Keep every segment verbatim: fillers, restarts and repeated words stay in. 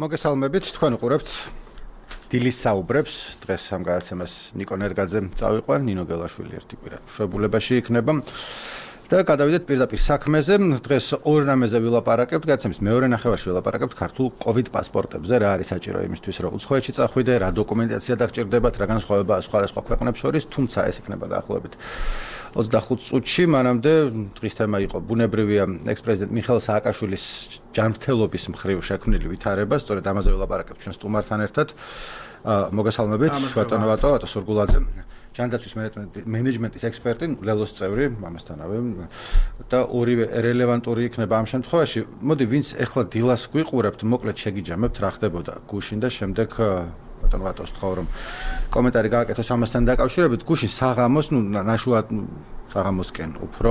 მოგესალმებით, თქვენ უყურებთ დილის საუბრებს. დღეს ამ გადაცემას ნიკო ნერგაძე წავიყვან, ნინო გელაშვილი ერთი კვირა მშობლებაში იქნება. და გადავიდეთ პირდაპირ საქმეზე. დღეს ორ რამეზე ვილაპარაკებთ, გადაცემის მეორე ნახევარში ვილაპარაკებთ ქართულ COVID პასპორტებზე, რა არის საჭირო იმისთვის, რომ უცხოეთში წახვიდე, რა დოკუმენტაცია დაგჭირდებათ, რა განსხვავება სხვადასხვა ქვეყნებს შორის, თუმცა ეს იქნება დაახლოებით ოცდახუთ წუთში. მანამდე დღის თემა იყო ბუნებრივია ექს-პრეზიდენტ მიხეილ სააკაშვილის ჯანმრთელობის მხრივ შექმნილი ვითარება, სწორედ ამაზე ვილაპარაკებთ ჩვენ სტუმართან ერთად. მოგესალმებით, ბატონო ვატო, ვატო სურგულაძე. ჯანდაცვის მენეჯმენტის ექსპერტი, ლელოს წევრი, ამასთანავე და ორივე რელევანტური იქნება ამ შემთხვევაში. მოდი, ვინც ეხლა დილას გვიყურებთ, მოკლედ შეგიჯამებთ, რა ხდებოდა გუშინ და შემდეგ ბატონო ვატოს თქვა რომ კომენტარი გააკეთოს ამასთან დაკავშირებით. გუშინ საღამოს, ნუ ნაშუად საღამოსკენ უფრო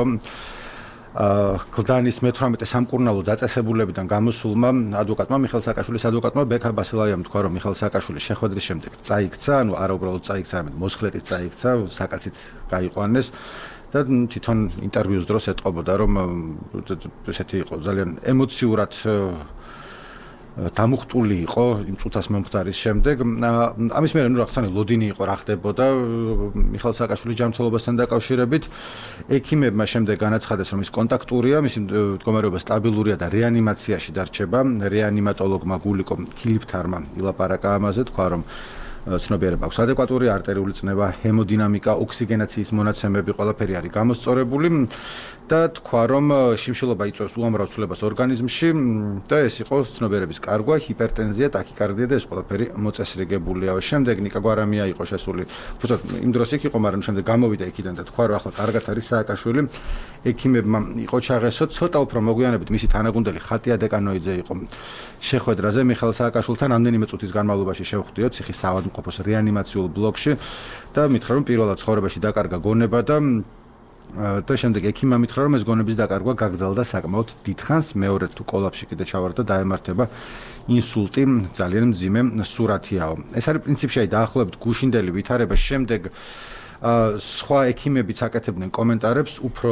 გლდანის მეთვრამეტე სამკურნალო დაწესებულებიდან გამოსულმა ადვოკატმა მიხეილ სააკაშვილის ადვოკატმა ბექა ბასილაიამ თქვა რომ მიხეილ სააკაშვილი შეხვედრის შემდეგ წაიქცა, ანუ არა უბრალოდ წაიქცა, არამედ მოსხლეტით წაიქცა, საკაცით გაიყვანეს და თვითონ ინტერვიუს დროს ეტყობოდა რომ ესეთი იყო ძალიან ემოციურად დამუხტული იყო იმ წუთას მომხდარის შემდეგ. ამის მერე ნუ რაღაცა ლოდინი იყო რა ხდებოდა მიხეილ სააკაშვილის ჯანმრთელობასთან დაკავშირებით. ექიმებმა შემდეგ განაცხადეს რომ ის კონტაქტურია, მისი მდგომარეობა სტაბილურია და რეანიმაციაში დარჩება. რეანიმატოლოგმა გულიკო ქილიფთარმა ილაპარაკა ამაზე, თქვა რომ ცნობიერება აქვს ადეკვატური არტერიული წნევა, ჰემოდინამიკა, ოქსიგენაციის მონაცემები ყველაფერი არის გამოსწორებული და თქვა რომ შიმშილობა იწვევს უამრავ ცვლილებას ორგანიზმში და ეს იყო ცნობიერების კარგვა, ჰიპერტენზია, ტაქიკარდია და ეს ყველაფერი მოწესრიგებულია. შემდეგ ნიკა გვარამია იყო შესული. უბრალოდ იმ დროს იქ იყო, მაგრამ შემდეგ გამოვიდა იქიდან და თქვა რომ ახლა კარგად არის სააკაშვილი. ექიმებმა იყო ჩაღესო, ცოტა უფრო მოგვიანებით მისი თანაგუნდელი ხატია დეკანოიძე იყო შეხვედრაზე მიხეილ სააკაშვილთან რამდენიმე წუთის განმავლობაში შევხვდიოთ ციხის საავადმყოფოს რეანიმაციულ ბლოკში და მითხრა რომ პირველად ცხოვრებაში დაკარგა გონება და და შემდეგ ექიმმა მითხრა რომ ეს გონების დაკარგვა გაგრძელდა საკმაოდ დიდხანს, მეორედ თუ კოლაფში კიდე ჩავარდა დაემართება ინსულტი, ძალიან მძიმე სურათიაო. ეს არის პრინციპში დაახლოებით გუშინდელი ვითარება. შემდეგ სხვა ექიმებიც აკეთებდნენ კომენტარებს, უფრო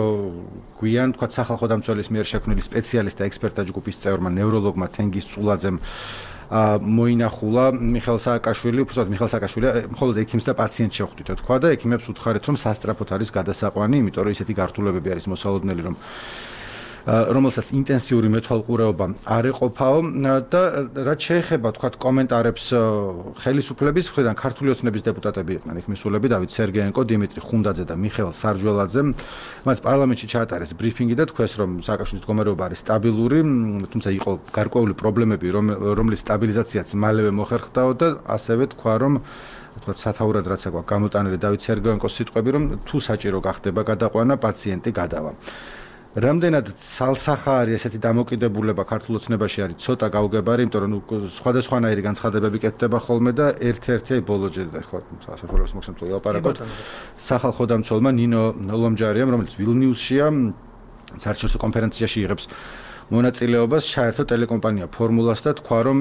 გვიან, თქვა სახალხო დამცველის მიერ შექმნილი სპეციალისტთა ექსპერტთა ჯგუფის წევრმა ნევროლოგმა თენგიზ წულაძემ მოინახულა მიხეილ სააკაშვილი, უბრალოდ მიხეილ სააკაშვილი მხოლოდ ექიმს და პაციენტს შეხვდით, თქვა და ექიმებს უთხარით რომ სასწრაფოდ არის გადასაყვანი, იმიტომ რომ ისეთი გართულებები არის მოსალოდნელი, რომ რომელსაც ინტენსიური მეთვალყურეობა არ ეყოფაო და რაც შეეხება თქვა კომენტარებს ხელისუფლების მხრიდან ქართული ოცნების დეპუტატები იყვნენ იქ მისულები დავით სერგეენკო, დიმიტრი ხუნდაძე და მიხეილ სარჯველაძე. მათ პარლამენტში ჩაატარეს ბრიფინგი და თქვეს რომ სააკაშვილის მდგომარეობა არის სტაბილური, თუმცა იყო გარკვეული პრობლემები, რომლის სტაბილიზაციაც მალევე მოხერხდაო და ასევე თქვა რომ თქვა სათაურად რაც აქვს გამოტანილი დავით სერგეენკოს სიტყვები რომ თუ საჭირო გახდება გადაყვანა, პაციენტი გადავა. რამდენად ცალსახა არის ესეთი დამოკიდებულება ქართულ ოცნებაში არის ცოტა გაუგებარი, იმიტომ რომ სხვადასხვანაირი განცხადებები კეთდება ხოლმე და ერთ-ერთი ბოლო ჯერ ხო სასაფლაოს მოხსენებთ ვილაპარაკოთ სახალხო დამცველმა ნინო ლომჯარიამ, რომელიც ვილნიუსშია საერთაშორისო კონფერენციაში იღებს მონაწილეობას, ჩაერთო ტელეკომპანია ფორმულას და თქვა რომ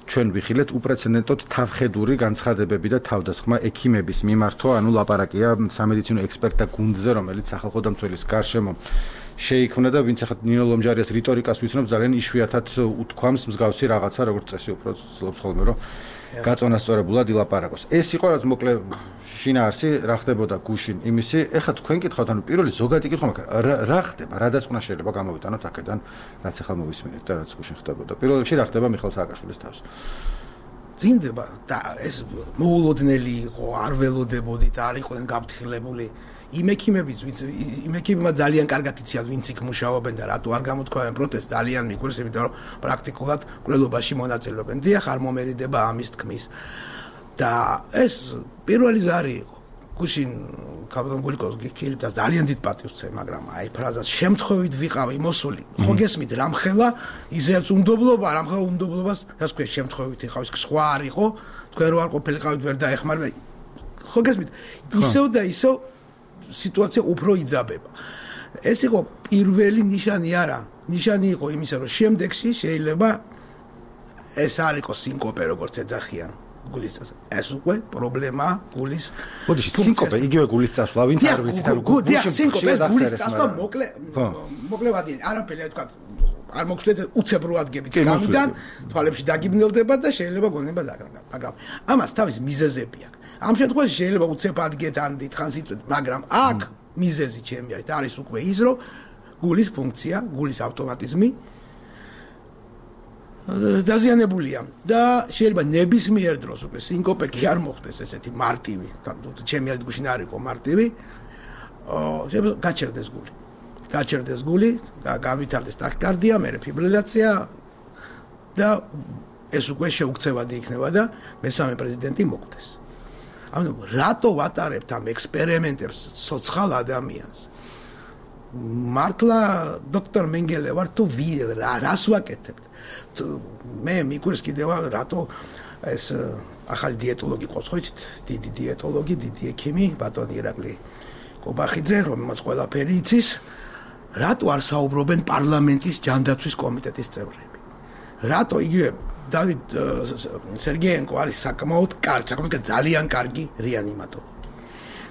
ჩვენ ვიხილეთ უპრეცედენტოდ თავხედური განცხადებები და თავდასხმა ექიმების მიმართვა, ანუ ლაპარაკია სამედიცინო ექსპერტთა გუნდზე, რომელიც სახალხო დამცველის გარშემო შეიქმნა და ვინც ახლა ნინო ლომჯარიას რიტორიკას ვიცნობ, ძალიან იშვიათად უთქვამს მსგავსი რაღაცა, როგორც წესი უფრო ცდილობს ხოლმე რომ გაწონასწორებულად ილაპარაკოს. ეს იყო რაც მოკლე შინაარსი რა ხდებოდა გუშინ იმისი. ეხლა თქვენ კითხავთ, ანუ პირველი ზოგადი კითხვა მაქვს, რა ხდება, რა დაწყვნა შეიძლება გამოვიტანოთ აქედან, რაც ახლა მოვისმინეთ და რაც გუშინ ხდებოდა. პირველ რიგში რა ხდება მიხეილ სააკაშვილის თავს? ძიმდება და ეს მოულოდნელი იყო, არ ველოდებოდით, არ იყვნენ გაფრთხილებული. იმ ექიმებიც, ვინც იმ ექიმებმა ძალიან კარგად იციან, ვინც იქ მუშაობენ და რატო არ გამოთქვამენ პროტესტს, ძალიან მიგვირს, იმიტომ რომ პრაქტიკულად კვლევობაში მონაწილეობენ. დიახ, არ მომერიდება ამის თქმის. და ეს პირველი ზარი იყო. გუშინ კაპიტან გულიკოს ქილიფთას ძალიან დიდ პატივს ვცემ, მაგრამ აი ფრაზას შემთხვევით ვიყავი მოსული. ხო გესმით, რამხელა ისეც უნდობლობა, რამხელა უნდობლობას, რას ქვია შემთხვევით იყავს, სხვა არ იყო, თქვენ რო არ ყოფილიყავით ვერ დაეხმარება. ხო გესმით, ისევ და ისევ სიტუაცია უფრო იძაბება. ეს იყო პირველი ნიშანი არა, ნიშანი იყო იმისა, რომ შემდეგში შეიძლება ეს არ იყოს სინკოპე, როგორც ეძახიან გულის წასვლა. ეს უკვე პრობლემაა გულის. ბოდიში, სინკოპე, იგივე გულის წასვლა, ვინც არ ვიცით, არ გულის სინკოპე, გულის წასვლა მოკლე მოკლე ვადიანი, არაფერი თქვა არ მოგხსნით უცებ რო ადგებით გამიდან თვალებში დაგიბნელდება და შეიძლება გონება დაგრაგა მაგრამ ამას თავის მიზეზები აქვს ამ შემთხვევაში შეიძლება უცებ ადგეთ ან დიდხანს იწვეთ მაგრამ აქ მიზეზი ჩემი არის არის უკვე ის რომ გულის ფუნქცია გულის ავტომატიზმი დაზიანებულია და შეიძლება ნებისმიერ დროს უკვე სინკოპე არ მოხდეს ესეთი მარტივი ჩემი არის გუშინ არ იყო მარტივი შეიძლება გაჩერდეს გული გაჩერდეს გული და გავითარდეს ტაქიკარდია მერე ფიბრილაცია და ეს უკვე შეუქცევადი იქნება და მესამე პრეზიდენტი მოკვდეს ანუ რატო ვატარებთ ამ ექსპერიმენტებს სოციალ ადამიანს მართლა დოქტორ მენგელე ვარ თუ რას ვაკეთებთ მე მიგურს კიდევ რატო ეს ახალი დიეტოლოგი ყავს ხო იცით დიდი დიეტოლოგი დიდი ექიმი ბატონი ირაკლი კობახიძე რომელმაც ყველაფერი იცის რატო არ საუბრობენ პარლამენტის ჯანდაცვის კომიტეტის წევრები რატო იგივე დავით სერგეენკო არის საკმაოდ კარგი საკმაოდ ძალიან კარგი რეანიმატოლოგი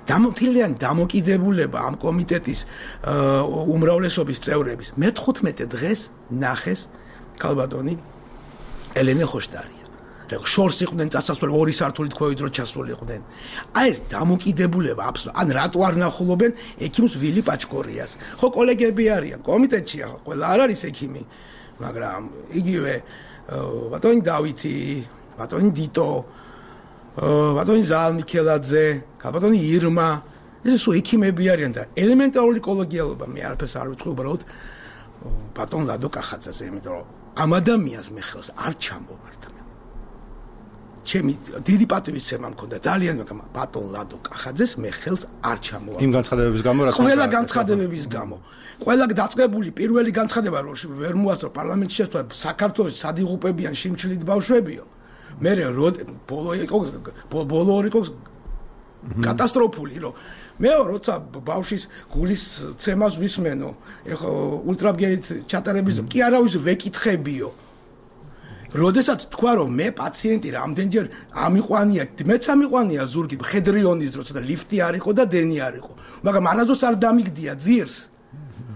დამოთილიან დამოკიდებულება ამ კომიტეტის უმრავლესობის წევრების მეთხუთმეტე დღეს ნახეს ქალბატონი ელენე ხოშტარია და შორს იყვნენ წასასვლელი ორი სართულით ქვევით რო ჩასულიყვნენ აი ეს დამოკიდებულება აბსოლუტურად ან რატო არ ნახულობენ ექიმს ვილი პაჩკორიას ხო კოლეგები არიან კომიტეტში ახლა ყველა არ არის ექიმი მაგრამ იგივე ბატონი დავითი ბატონი დიტო ბატონი ზალ მიქელაძე ქალბატონი ირმა ეს სულ ექიმები არიან და ელემენტარული კოლეგიალობა მე არაფერს არ ვიტყვი უბრალოდ ბატონ ლადო კახაძეზე იმიტომ რომ ამ ადამიანს მე ხელს არ ჩამოვართ მე ჩემი დიდი პატივისცემა მქონდა ძალიან მაგრამ ბატონ ლადო კახაძეს მე ხელს არ ჩამოვართ იმ განცხადებების გამო რა ყველა განცხადებების გამო ყველა დაწყებული პირველი განცხადება რომ ვერ მოასწრო პარლამენტში შესვლა საქართველოს სადიღუპებიან შიმჩილით ბავშვებიო მე ბოლო იყო ბოლო იყო კატასტროფული რომ მე როცა ბავშვის გულის ცემას ვისმენო ეხა ულტრაბგერით ჩატარების კი არავის ვეკითხებიო როდესაც თქვა რომ მე პაციენტი რამდენჯერ ამიყვანია მეც ამიყვანია ზურგი მხედრიონის დროს და ლიფტი არ იყო და დენი არ იყო მაგრამ არასდროს არ დამიგდია ძირს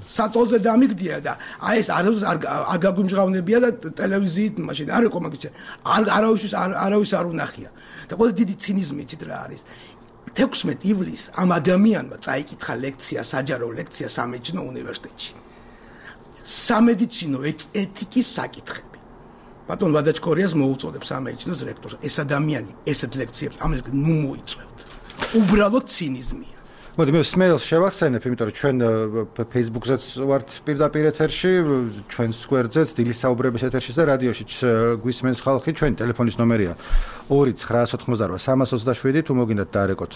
საწოლზე დამიგდია და აი ეს არასდროს არ გაგვიმჟღავნებია და ტელევიზიით მაშინ არ იყო მაგის არ არავის არავის არ უნახია და ყველა დიდი ცინიზმი იცით რა არის თექვსმეტ ივლისს ამ ადამიანმა წაიკითხა ლექცია საჯარო ლექცია სამედიცინო უნივერსიტეტში სამედიცინო ეთიკის საკითხები ბატონ ვადაჩკორიას მოუწოდებს სამედიცინოს რექტორს ეს ადამიანი ესეთ ლექციებს ამას ნუ მოიწევთ უბრალოდ ცინიზმია მოდი მე სმეილს შევახსენებ, იმიტომ რომ ჩვენ Facebook-ზეც ვართ პირდაპირ ეთერში, ჩვენს გვერდზეც, დილის საუბრების ეთერში და რადიოშიც გვისმენს ხალხი, ჩვენი ტელეფონის ნომერია ორი ცხრა ოთხმოცდაოთხ სამას ოცდაშვიდი, თუ მოგინდათ დაარეკოთ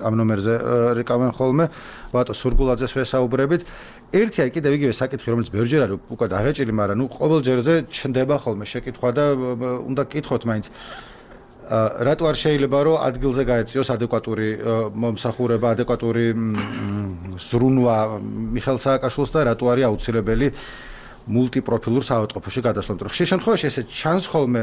ამ ნომერზე რეკავენ ხოლმე, ვატო სურგულაძეს ვესაუბრებით. ერთი აი კიდევ იგივე საკითხი, რომელიც ბევრჯერ არის უკვე დაღეჭილი, მაგრამ ნუ ყოველ ჯერზე ჩნდება ხოლმე შეკითხვა და უნდა გკითხოთ მაინც რატო არ შეიძლება რომ ადგილზე გაეწიოს ადეკვატური მომსახურება, ადეკვატური ზრუნვა მიხეილ სააკაშვილს და რატო არის აუცილებელი მულტიპროფილურ საავადმყოფოში გადასვლა. ხშირ შემთხვევაში ესე ჩანს ხოლმე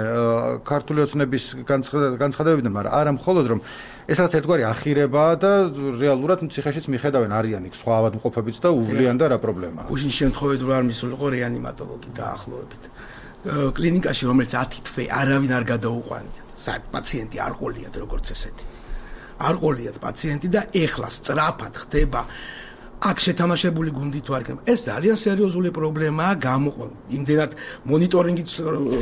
ქართული ოცნების განცხადებებიდან, მაგრამ არა მხოლოდ რომ ეს რაც ერთგვარი ახირებაა და რეალურად ციხეშიც მიხედავენ არიან იქ სხვა ავადმყოფებიც და უვლიან და რა პრობლემაა. უშინ შემთხვევით რომ არ მისულიყო რეანიმატოლოგი დაახლოებით. კლინიკაში რომელიც ათი თვე არავინ არ გადაუყვანია. პაციენტი არ ყოლიათ როგორც ესეთი. არ ყოლიათ პაციენტი და ეხლა სწრაფად ხდება აქ შეთამაშებული გუნდი თუ არ იქნება. ეს ძალიან სერიოზული პრობლემაა გამოყვან. იმდენად მონიტორინგის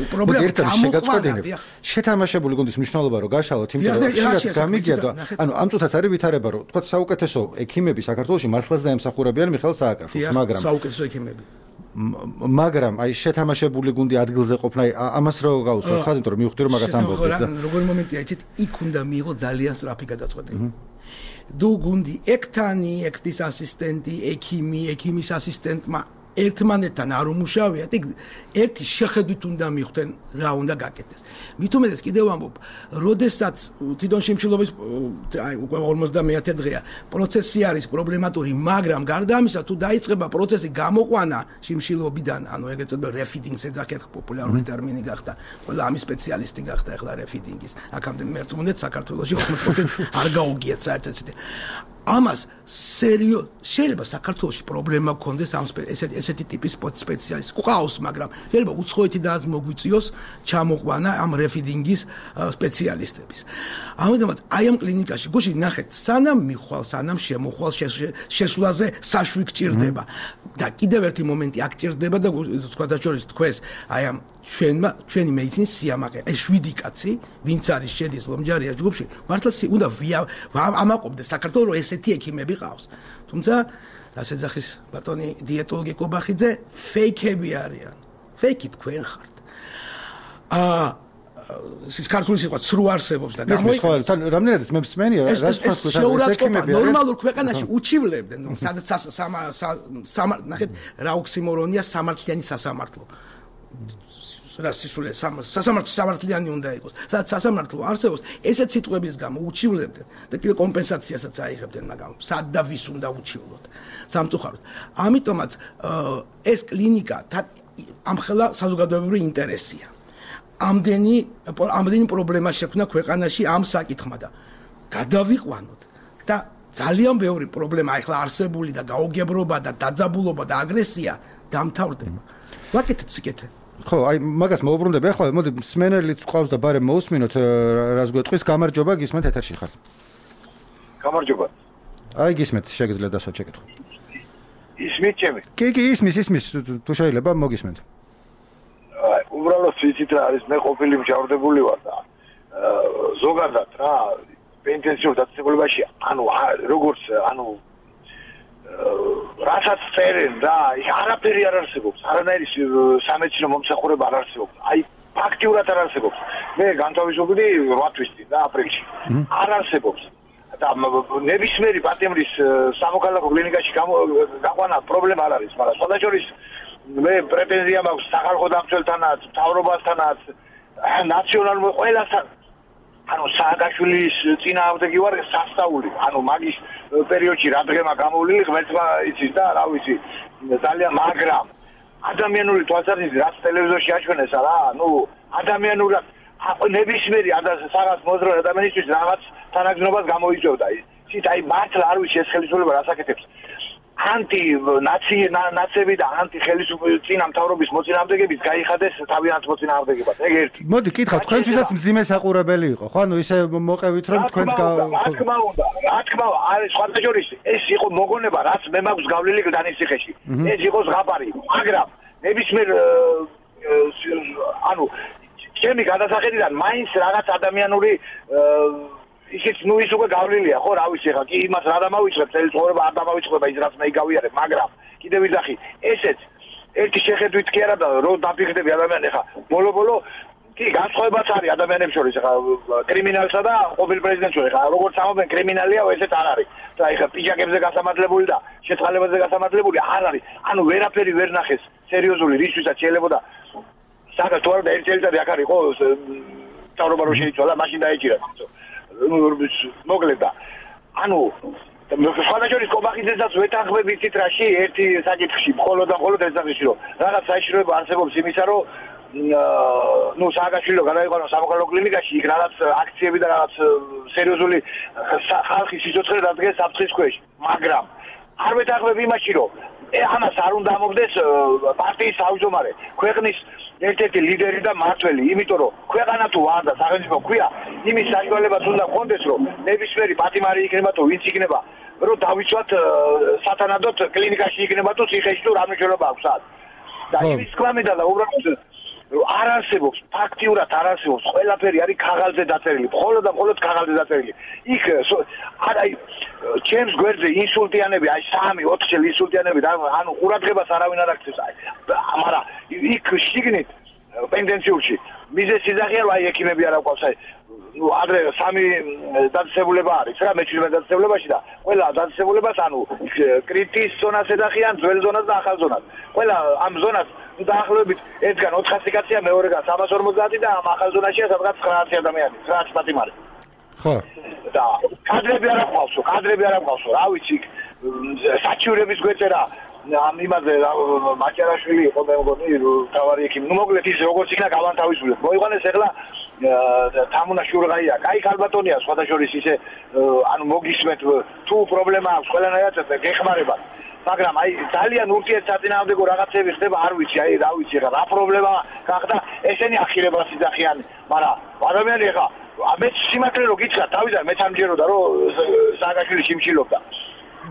პრობლემა გამოყვანია. შეთამაშებული გუნდის მნიშვნელობა რომ გაშალოთ, იმიტომ რომ შეიძლება გამიგია და ანუ ამ წუთაც არის ვითარება რომ თქვა საუკეთესო ექიმები საქართველოში მართლაც დაემსახურებიან მიხეილ სააკაშვილს, მაგრამ საუკეთესო ექიმები მაგრამ აი შეთამაშებული გუნდი ადგილზე ყოფნა ამას რო გაუსვათ ხაზი, იმიტომ რომ მივხვდი რომ მაგას ამბობთ და როგორი მომენტია იცით, იქ უნდა მიიღო ძალიან სწრაფი გადაწყვეტილება. დუ გუნდი ექთანი, ექთის ასისტენტი, ექიმი, ექიმის ასისტენტმა ერთმანეთთან არ უმუშავიათ, იქ ერთი შეხედვით უნდა მიხვდნენ რა უნდა გაკეთდეს. მით უმეტეს კიდევ ამბობ, როდესაც თვითონ შიმშილობის აი უკვე ორმოცდამეათე დღეა, პროცესი არის პრობლემატური, მაგრამ გარდა ამისა თუ დაიწყება პროცესი გამოყვანა შიმშილობიდან, ანუ ეგეც წოდება რეფიდინგს ეძახეთ, პოპულარული ტერმინი გახდა, ყველა ამის სპეციალისტი გახდა ახლა რეფიდინგის. აქამდე მერწმუნეთ საქართველოში ოცდაოთხ პროცენტი არ გაუგიათ საერთოდ. ამას სერიოზ შეიძლება საქართველოში პრობლემა გქონდეს ამ ესეთი ტიპის სპეციალისტი ყავს, მაგრამ შეიძლება უცხოეთიდანაც მოგვიწიოს ჩამოყვანა ამ რეფიდინგის სპეციალისტების. ამიტომაც აი ამ კლინიკაში გუშინ ნახეთ, სანამ მიხვალ, სანამ შემოხვალ შესვლაზე საშვი გჭირდება და კიდევ ერთი მომენტი აქ ჭირდება და სხვადასხვა თქვენს აი ამ ჩვენმა ჩვენი მედიცინის სიამაყე ეს შვიდი კაცი ვინც არის შედის ლომჯარია ჯგუფში მართლა უნდა ამაყობდეს საქართველოს რომ ესეთი ექიმები ყავს თუმცა ასე ძახის ბატონი დიეტოლოგი კობახიძე ფეიქები არიან ფეიქი თქვენ ხართ აა ის ქართული სიტყვა ცრუ არსებობს და გამოიყენებს თან რამდენადაც მე მსმენი რა რა ექიმები ნორმალურ ქვეყანაში უჩივლებდნენ სადაც სამა ნახეთ რა ოქსიმორონია სამართლიანი სასამართლო რა სისულე სასამართლო სამართლიანი უნდა იყოს. სადაც სასამართლო არსებობს, ესეც სიტყვების გამო უჩივლებდნენ და კიდე კომპენსაციასაც აიღებდნენ, მაგრამ სად და ვის უნდა უჩივლოთ სამწუხაროდ. ამიტომაც ეს კლინიკა ამხელა საზოგადოებრივი ინტერესია. ამდენი ამდენი პრობლემა შექმნა ქვეყანაში ამ საკითხმა და გადავიყვანოთ და ძალიან ბევრი პრობლემა ახლა არსებული და გაუგებრობა და დაძაბულობა და აგრესია დამთავრდება. ვაკეთეთ სიკეთე ხო, აი მაგას მოუბრუნდები. ახლა მოდი სმენელიც ყავს და ბარემ მოусმინოთ რას გვეტყვის. გამარჯობა, გისმენთ ეთერში ხარ. გამარჯობა. აი გისმენთ, შეგიძლიათ დასვათ შეკითხვა. ისმით ჩემი? კი, კი, ისმის, ისმის, თუ შეიძლება მოგისმენთ. აი, უბრალოდ ვიცით რა არის, მე ყოფილი მჟავრდებული ვარ და ზოგადად რა, ინტენსიურ დაწესებულებაში, ანუ როგორც, ანუ რასაც წერენ და არაფერი არ არსებობს, არანაირი სამედიცინო მომსახურება არ არსებობს. აი ფაქტიურად არ არსებობს. მე განთავისუფლდი რვა თვის წინ და აპრილში. არ არსებობს. და ნებისმიერი პატიმრის სამოქალაქო კლინიკაში გაყვანა პრობლემა არ არის, მაგრამ სხვადასხვა მე პრეტენზია მაქვს სახალხო დამცველთანაც, მთავრობასთანაც, ნაციონალურ ყველასთან. ანუ სააკაშვილის წინააღმდეგი ვარ სასწაული. ანუ მაგის პერიოდში რა დღემა გამოვლილი ღმერთმა იცის და რა ვიცი ძალიან მაგრამ ადამიანური თვალსაზრისით რაც ტელევიზორში აჩვენეს რა ნუ ადამიანურად ნებისმიერი სადაც მოძრაობ ადამიანისთვის რაღაც თანაგზნობას გამოიწვევდა იცით აი მართლა არ ვიცი ეს ხელისუფლება რას აკეთებს ანტი ნაცები და ანტი ხელისუფლების წინამთავრობის მოწინააღმდეგების გაიხადეს თავიანთ მოწინააღმდეგებად ეგ ერთი მოდი კითხავ თქვენთვისაც მძიმე საყურებელი იყო ხო ანუ ისე მოყევით რომ თქვენს რა თქმა უნდა რა თქმა უნდა არის სხვადასხვა ეს იყო მოგონება რაც მე მაქვს გავლილი გდანისციხეში ეს იყო ზღაპარი მაგრამ ნებისმიერ ანუ ჩემი გადასახედიდან მაინც რაღაც ადამიანური ისიც ნუ ის უკვე გავლილია ხო რა ვიცი ხა კი იმას რა დამავიწყებ წელი ცხოვრება არ დამავიწყება ის რაც მე გავიარებ მაგრამ კიდევ ვიძახი ესეც ერთი შეხედვით კი არა და რო დაფიქრდები ადამიანი ხა ბოლო-ბოლო კი განსხვავებაც არის ადამიანებს შორის ხა კრიმინალსა და ყოფილ პრეზიდენტს შორის ხა როგორც ამობენ კრიმინალია ესეც არ არის და ეხა პიჯაკებზე გასამართლებული და შეწყალებაზე გასამართლებული არ არის ანუ ვერაფერი ვერ ნახეს სერიოზული რისთვისაც შეიძლება და საქართველოს თუ არა და ერთი წელიწადი აქ არის ხო თავრობა რო შეიცვალა მაშინ დაეჭირა მოკლედ და ანუ სხვადასხვა კობახიძესაც ვეთანხმები იცით რაში ერთი საკითხში მხოლოდ და მხოლოდ ეს საკითხი რომ რაღაც საჭიროება არსებობს იმისა რომ ნუ სააკაშვილო გადაიყვანო სამოქალაქო კლინიკაში იქ რაღაც აქციები და რაღაც სერიოზული ხალხის სიცოცხლე დადგეს საფრთხის ქვეშ მაგრამ არ ვეთანხმები იმაში რომ ამას არ უნდა ამობდეს პარტიის თავმჯდომარე ქვეყნის ერთ-ერთი ლიდერი და მმართველი, იმიტომ რომ ქვეყანა თუ არ და სახელმწიფო ქვია, იმის საშუალებაც უნდა გქონდეს, რომ ნებისმიერი პატიმარი იქნება თუ ვინც იქნება, რომ დავიცვათ სათანადოდ კლინიკაში იქნება თუ ციხეში თუ რა მნიშვნელობა აქვს ამ. და იმის თქმა მინდა და უბრალოდ არ არსებობს, ფაქტიურად არ არსებობს, ყველაფერი არის ქაღალდზე დაწერილი, მხოლოდ და მხოლოდ ქაღალდზე დაწერილი. იქ არა ჩემს გვერდზე ინსულტიანები, აი სამი ოთხ წელი ინსულტიანები და ანუ ყურადღებას არავინ არ აქცევს, აი მაგრამ იქ შიგნით პენდენციურში მიზეს სიზაღია რომ აი ექიმები არ აყვავს აი ნუ ადრე სამი დაწესებულება არის რა მეჩვიდმეტ დაწესებულებაში და ყველა დაწესებულებას ანუ კრიტის ზონას ეძახიან ძველ ზონას და ახალ ზონას ყველა ამ ზონას დაახლოებით ერთგან ოთხასი კაცია მეორეგან სამას ორმოცდაათი და ამ ახალ ზონაშია სადღაც ცხრაათი ადამიანი ცხრაათი პატიმარი ხო და კადრები არ აყვავსო კადრები არ აყვავსო რა ვიცი საჩივრების გვეწერა ამ იმაზე მაჭარაშვილი იყო მე მგონი თავარი ექიმი. ნუ მოკლედ ის როგორც იქნა გავანთავისუფლეთ. მოიყვანეს ახლა თამუნა შურღაია. კაი ქალბატონია სხვადასხვის ისე ანუ მოგისმენთ თუ პრობლემა აქვს ყველანაირად გეხმარება. მაგრამ აი ძალიან ურთიერთსაწინააღმდეგო რაღაცები ხდება არ ვიცი აი რა ვიცი რა რა პრობლემა გახდა ესენი ახირებას იძახიან მაგრამ ადამიანი ეხა მე სიმართლე რო გითხრა თავიდან მე თამჯეროდა რომ სააკაშვილი შიმშილობდა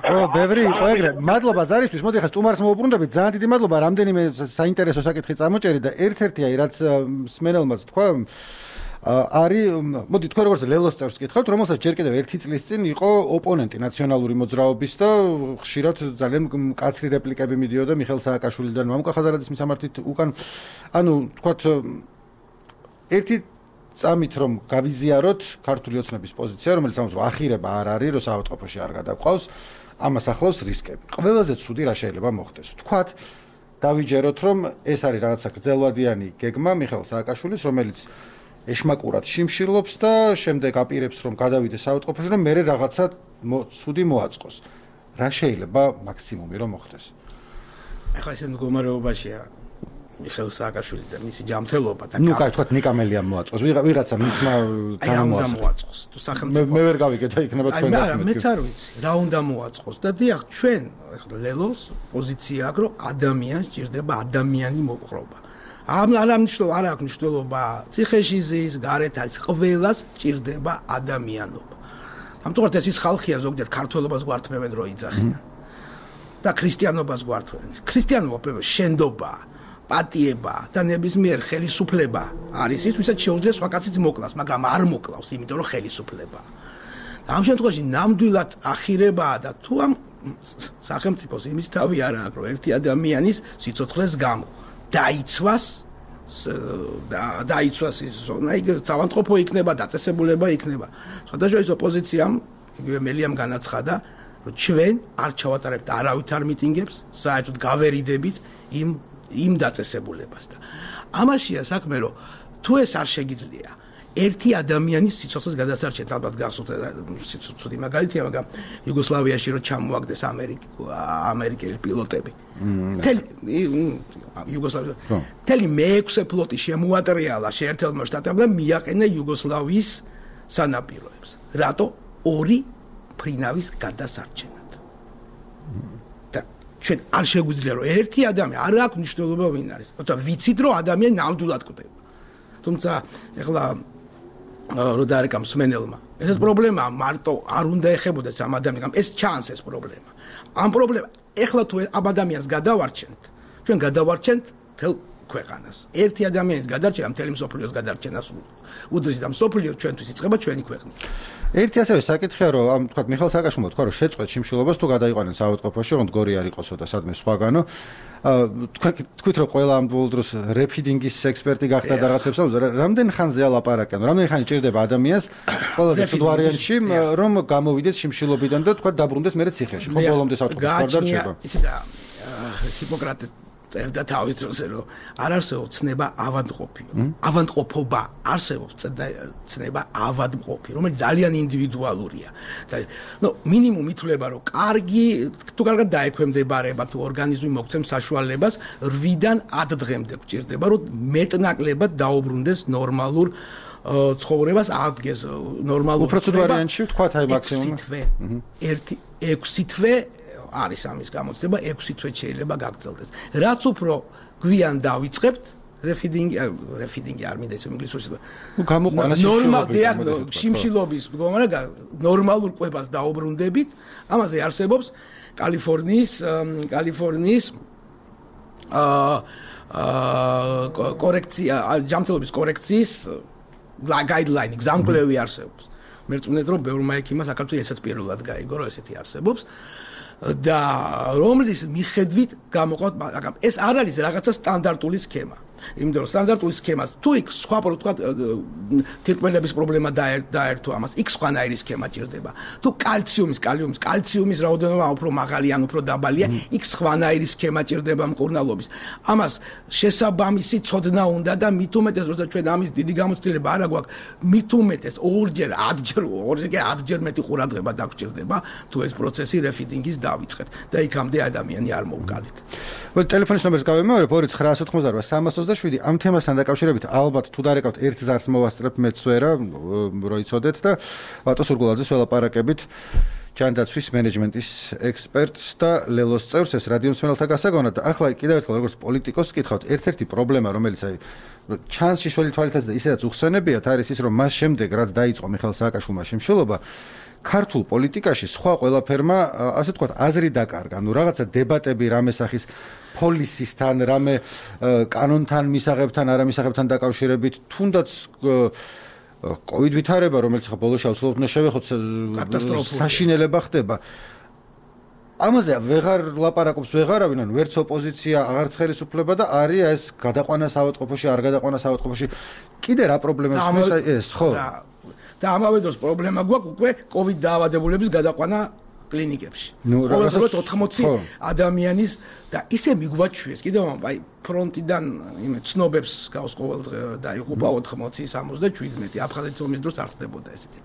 ხო ბევრი იყო ეგრე მადლობა ზარისთვის მოდი ხა სტუმარს მოვუბრუნდებით ძალიან დიდი მადლობა რამდენიმე საინტერესო საკითხი წამოჭერით და ერთ-ერთი აი რაც სმენელმაც თქვა არის მოდი თქვენ როგორც ლელოს წევს გითხავთ რომელსაც ჯერ კიდევ ერთი წლის წინ იყო ოპონენტი ნაციონალური მოძრაობის და ხშირად ძალიან მკაცრი რეპლიკები მიდიოდა მიხეილ სააკაშვილიდან მამუკა ხაზარაძის მისამართით უკან ანუ თქვათ ერთი წამით რომ გავიზიაროთ ქართული ოცნების პოზიცია რომელიც ამას რომ ახირება არ არის რომ საავადმყოფოში არ გადაყავს ამას ახლავს რისკები ყველაზე ცუდი რა შეიძლება მოხდეს თქვათ დავიჯეროთ რომ ეს არის რაღაცა გრძელვადიანი გეგმა მიხეილ სააკაშვილის რომელიც ეშმაკურად შიმშილობს და შემდეგ აპირებს რომ გადავიდეს საავადმყოფოში რომ მერე რაღაცა ცუდი მოაწყოს. რა შეიძლება მაქსიმუმი რომ მოხდეს? ახლა ეს მდგომარეობაშია მიხეილ სააკაშვილი და მისი ჯანმრთელობა და ნუ კაი თქვათ ნიკამელია მოაწყოს. ვიღაცა მისმა თან მოაწყოს. თუ სახელმწიფო მე ვერ გავიგეთ და იქნება თქვენ გასმით. მეც არ ვიცი რა უნდა მოაწყოს და დიახ ჩვენ ახლა ლელოს პოზიცია აქვს რომ ადამიანს ჭირდება ადამიანი მოპყრობა. ამ არ ამნიშნულ არ აქვს მნიშვნელობა ციხეში ზის გარეთ არის ყველას ჭირდება ადამიანობა. ამიტომ ეს ის ხალხია ზოგჯერ ქართველობას გვართმევენ რო იძახიან და ქრისტიანობას გვართმევენ. ქრისტიანობა შენდობა, პატიება და ნებისმიერ ხელისუფლება არის ის ვისაც შეუძლია სხვა კაციც მოკლას, მაგრამ არ მოკლავს, იმიტომ რომ ხელისუფლება. და ამ შემთხვევაში ნამდვილად ახირებაა და თუ ამ სახელმწიფოს იმის თავი არ აქვს რომ ერთი ადამიანის სიცოცხლეს გამო დაიცვას და დაიცვას ის ზონა იქ საავადმყოფო იქნება დაწესებულება იქნება სხვადასხვა ოპოზიციამ იგივე მელიამ განაცხადა რომ ჩვენ არ ჩავატარებთ არავითარ მიტინგებს საერთოდ გავერიდებით იმ იმ დაწესებულებას და ამაშია საქმე რომ თუ ეს არ შეგიძლია ერთი ადამიანის სიცოცხლეს გადასარჩენთ ალბათ გახსოვთ ცუდი მაგალითია მაგრამ იუგოსლავიაში რო ჩამოაგდეს ამერიკელი პილოტები თელი იუგოსლავია თელი მეექვსე ფლოტი შემოატრიალა შეერთებულმა შტატებმა მიაყენა იუგოსლავიის სანაპიროებს რატო ორი ფრინავის გადასარჩენად და ჩვენ არ შეგვიძლია რომ ერთი ადამიანი არ აქვს მნიშვნელობა ვინ არის თუმცა ვიცით რომ ადამიანი ნამდვილად კვდება თუმცა ეხლა რო დაარეკამ სმენელმა ეს პრობლემაა მარტო არ უნდა ეხებოდეს ამ ადამიანს ეს ჩანს ეს პრობლემა ამ პრობლემა ეხლა თუ ამ ადამიანს გადავარჩენთ ჩვენ გადავარჩენთ თელ ქვეყანას ერთი ადამიანის გადარჩენა მთელი მსოფლიოს გადარჩენას უდრის და მსოფლიო ჩვენთვის იწყება ჩვენი ქვეყნით ერთი ასევე საკითხია რომ ამ თქვა მიხეილ სააკაშვილმა თქვა რომ შეწყვეტ შიმშილობას თუ გადაიყვანენ საავადმყოფოში რომ გორი არ იყოსო და სადმე სხვაგანო თქვა თქვით რომ ყველა ამ ბოლო დროს რეფიდინგის ექსპერტი გახდა და რაღაცებს რამდენ ხანზე ალაპარაკენ რამდენ ხანი ჭირდება ადამიანს ყველაზე ცუდ ვარიანტში რომ გამოვიდეს შიმშილობიდან და თქვა დაბრუნდეს მერე ციხეში ხო ბოლომდე საავადმყოფოში არ დარჩება იცი და ჰიპოკრატე წერდა თავის დროზე რომ არ არსებობს ცნება ავადმყოფიო ავადმყოფობა არსებობს ცნება ავადმყოფი რომელიც ძალიან ინდივიდუალურია და ნუ მინიმუმ ითვლება რომ კარგი თუ კარგად დაექვემდებარება თუ ორგანიზმი მოგცემს საშუალებას რვიდან ათ დღემდე გვჭირდება რომ მეტნაკლებად დაუბრუნდეს ნორმალურ ცხოვრებას აღდგეს ნორმალურ პროცედურაში თქვათ აი მაქსიმუმი ერთი ექვსი თვე არის ამის გამოცდება ექვსი თვე შეიძლება გაგრძელდეს. რაც უფრო გვიან დავიწყებთ რეფიდინგი რეფიდინგი არ მინდა ისე ინგლისურში. ნუ გამოყვანა ნორმალ შიმშილობის მდგომარეობა ნორმალურ კვებას დაუბრუნდებით. ამაზე არსებობს კალიფორნიის კალიფორნიის აა კორექცია ჯანმრთელობის კორექციის გაიდლაინი გზამკვლევი არსებობს. მე წუნეთ რომ ბევრმა ექიმმა საქართველოს ესაც პირველად გაიგო რომ ესეთი არსებობს. და რომლის მიხედვით გამოყავთ მაგრამ ეს არ არის რაღაცა სტანდარტული სქემა იმიტომ რომ სტანდარტული სქემას თუ იქ სხვა თქვა თირკმელების პრობლემა დაერთო ამას, იქ სხვანაირი სქემა ჭირდება. თუ კალციუმის, კალიუმის, კალციუმის რაოდენობა უფრო მაღალი ან უფრო დაბალია, იქ სხვანაირი სქემა ჭირდება მკურნალობის. ამას შესაბამისი ცოდნა უნდა და მით უმეტეს, როცა ჩვენ ამის დიდი გამოცდილება არ აქვს, მით უმეტეს ორჯერ, ათჯერ, ორჯერ, ათჯერ მეტი ყურადღება დაგვჭირდება, თუ ეს პროცესი რეფიდინგის დავიწყეთ და იქამდე ადამიანი არ მოვკალით. ტელეფონის ნომერს გავიმეორებ ორი ცხრაასი ოთხმოცდაოთხი სამას ოცდაშვიდი. ამ თემასთან დაკავშირებით ალბათ თუ დარეკავთ ერთ ზარს მოვასწრებ მეც ვერა, როიცოდეთ და ბატონ სურგულაძეს ველაპარაკებით. ჯანდაცვის მენეჯმენტის ექსპერტს და ლელოს წევრს ეს რადიო მსმენელთა გასაგონად და ახლა კიდევ ერთხელ როგორც პოლიტიკოსს გითხავთ, ერთ-ერთი პრობლემა რომელიც აი ჩანს შიშველი თვალითაც და ისედაც უხსენებიათ არის ის რომ მას შემდეგ რაც დაიწყო მიხეილ სააკაშვილმა შემშლობა ქართულ პოლიტიკაში სხვა ყველაფერმა ასე ვთქვათ აზრი დაკარგა. ნუ რაღაცა დებატები რამე სახის პოლისისთან, რამე კანონთან, მისაღებთან, არამისაღებთან დაკავშირებით, თუნდაც კოვიდ ვითარება, რომელიც ხა ბოლოს აუცილებლად უნდა შევეხოთ, საშინელება ხდება. ამაზე ვეღარ ლაპარაკობს ვეღარავინ, ანუ ვერც ოპოზიცია, აღარც ხელისუფლება და არის ეს გადაყვანა საავადმყოფოში, არ გადაყვანა საავადმყოფოში. კიდე რა პრობლემაა ეს, ხო? და ამავე დროს პრობლემა გვაქვს უკვე კოვიდ დაავადებულების გადაყვანა კლინიკებში. ყოველდღიურად ოთხმოცი ადამიანის და ისე მიგვაჩვიეს კიდევ აი ფრონტიდან იმე ცნობებს გავს ყოველდღე და იყოფა ოთხმოცი სამოცდაშვიდი აფხაზეთის ომის დროს არ ხდებოდა ესეთი.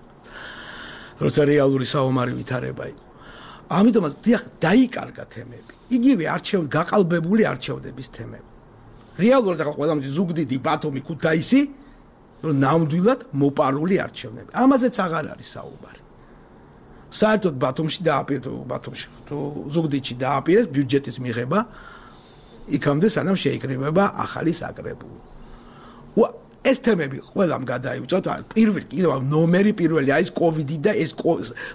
როცა რეალური საომარი ვითარება იყო. ამიტომაც დიახ დაიკარგა თემები. იგივე არჩევ გაყალბებული არჩევდების თემები. რეალურად ახლა ყველამდის ზუგდიდი, ბათუმი, ქუთაისი რომ ნამდვილად მოპარული არჩევნები. ამაზეც აღარ არის საუბარი. საერთოდ ბათუმში დააპირეს, ბათუმში თუ ზუგდიდში დააპირეს ბიუჯეტის მიღება, იქამდე სანამ შეიკრიბება ახალი საკრებულო. ეს თემები ყველამ გადაივწოთ, პირველი კიდევ ნომერი პირველი არის კოვიდი და ეს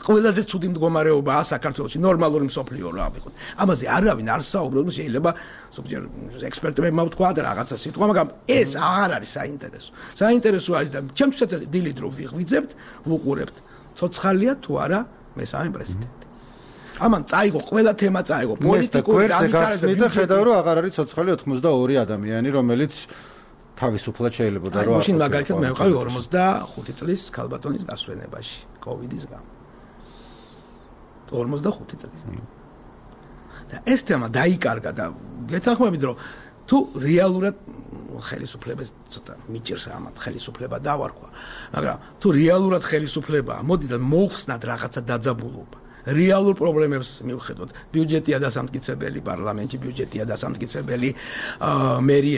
ყველაზე ცუდი მდგომარეობაა საქართველოში, ნორმალური მსოფლიო რა ვიყოთ. ამაზე არავინ არ საუბრობს, შეიძლება ზოგჯერ ექსპერტებმა ვთქვა და რაღაცა სიტყვა, მაგრამ ეს აღარ არის საინტერესო. საინტერესო არის და ჩემთვისაც დილით რო ვიღვიძებთ, ვუყურებთ, ცოცხალია თუ არა მესამე პრეზიდენტი. ამან წაიღო ყველა თემა წაიღო პოლიტიკური განვითარება და ხედავ რომ აღარ არის ცოცხალი ოცდაორი ადამიანი, რომელიც თავისუფლად შეიძლება და რა. მაშინ მაგალითად მე ვიყავი ორმოცდახუთი წლის ქალბატონის გასვენებაში კოვიდის გამო. ორმოცდახუთი წლის. და ეს თემა დაიკარგა და გეთანხმებით რომ თუ რეალურად ხელისუფლებას ცოტა მიჭირს ამათ ხელისუფლება დავარქვა, მაგრამ თუ რეალურად ხელისუფლებაა, მოდით მოხსნათ რაღაცა დაძაბულობა. რეალურ პრობლემებს მივხედოთ. ბიუჯეტია დასამტკიცებელი პარლამენტში, ბიუჯეტია დასამტკიცებელი მერი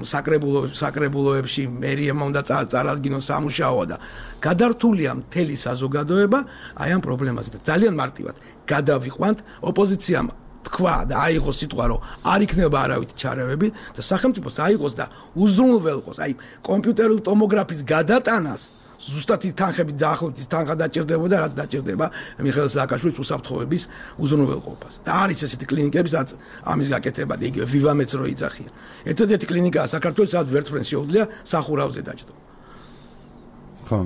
საკრებულოებში, საკრებულოებში მერიებმა უნდა წარადგინონ სამუშაო და გადართულია მთელი საზოგადოება აი ამ პრობლემაზე და ძალიან მარტივად გადავიყვანთ ოპოზიციამ თქვა და აიღოს სიტყვა რომ არ იქნება არავითი ჩარევები და სახელმწიფოს აიღოს და უზრუნველყოს აი კომპიუტერული ტომოგრაფის გადატანას ზუსტად ის თანხები დაახლოებით ის თანხა დაჭირდებოდა რაც დაჭირდება მიხეილ სააკაშვილის უსაფრთხოების უზრუნველყოფას და არის ესეთი კლინიკებისაც ამის გაკეთება და იგივე ვივამეც რო იძახია ერთადერთი კლინიკაა საქართველოს სადაც ვერტმფრენს შეუძლია სახურავზე დაჭდო ხო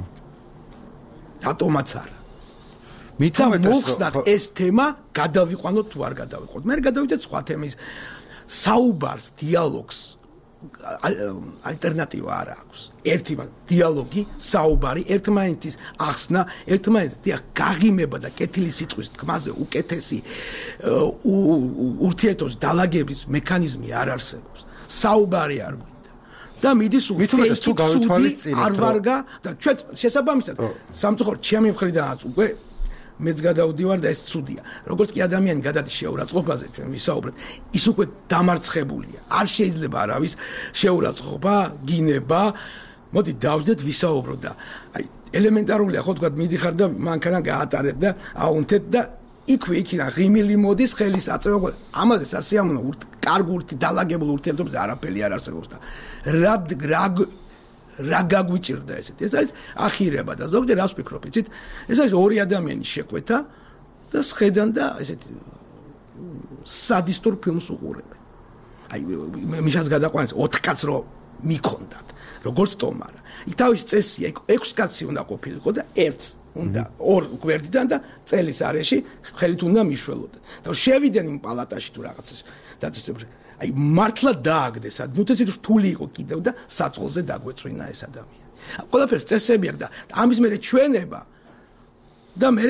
ატომაც არა და მოხსნათ ეს თემა გადავიყვანოთ თუ არ გადავიყვანოთ მე გადავიდეთ სხვა თემის საუბარს დიალოგს ალტერნატივა არ აქვს. ერთი დიალოგი, საუბარი, ერთმანეთის ახსნა, ერთმანეთის დიახ გაღიმება და კეთილი სიტყვის თქმაზე უკეთესი ურთიერთობის დალაგების მექანიზმი არ არსებობს. საუბარი არ გვინდა. და მიდის უცუდი არ ვარგა და ჩვენ შესაბამისად სამწუხაროდ ჩემი მხრიდანაც უკვე მეც გადავდივარ და ეს ცუდია. როგორც კი ადამიანი გადადის შეურაცხყოფაზე, ჩვენ ვისაუბრეთ, ის უკვე დამარცხებულია. არ შეიძლება არავის შეურაცხყოფა, გინება. მოდი დავждეთ ვისაუბროთ და აი ელემენტარულია ხო თქვა მიდიხარ და მანქანა გაატარეთ და აუნთეთ და იქვე იქიდან ღიმილი მოდის ხელის აწევა. ამაზე სასიამოვნო კარგ ურთი დალაგებულ ურთიერთობაზე არაფერი არ არსებობს და რა რა რა გაგვიჭირდა ესეთი ეს არის ახირება და ზოგჯერ რას ვფიქრობ იცით ეს არის ორი ადამიანის შეკვეთა და სხედან და ესეთი სადისტურ ფილმს უყურებენ აი მიშას გადაყვანეს ოთხ კაცს რო მიქონდათ როგორც ტომარა იქ თავის წესია იქ ექვს კაცი უნდა ყოფილიყო და ერთს უნდა ორ გვერდიდან და წელის არეში ხელით უნდა მიშველოდეთ და შევიდნენ იმ პალატაში თუ რაღაცას დაწესებრი აი მართლა დააგდეს, ნუ ეს რთული იყო კიდევ და საწყალზე დაგვეწვინა ეს ადამიანი. ყველაფერს წესები აქვს და ამის მერე ჩვენება და მე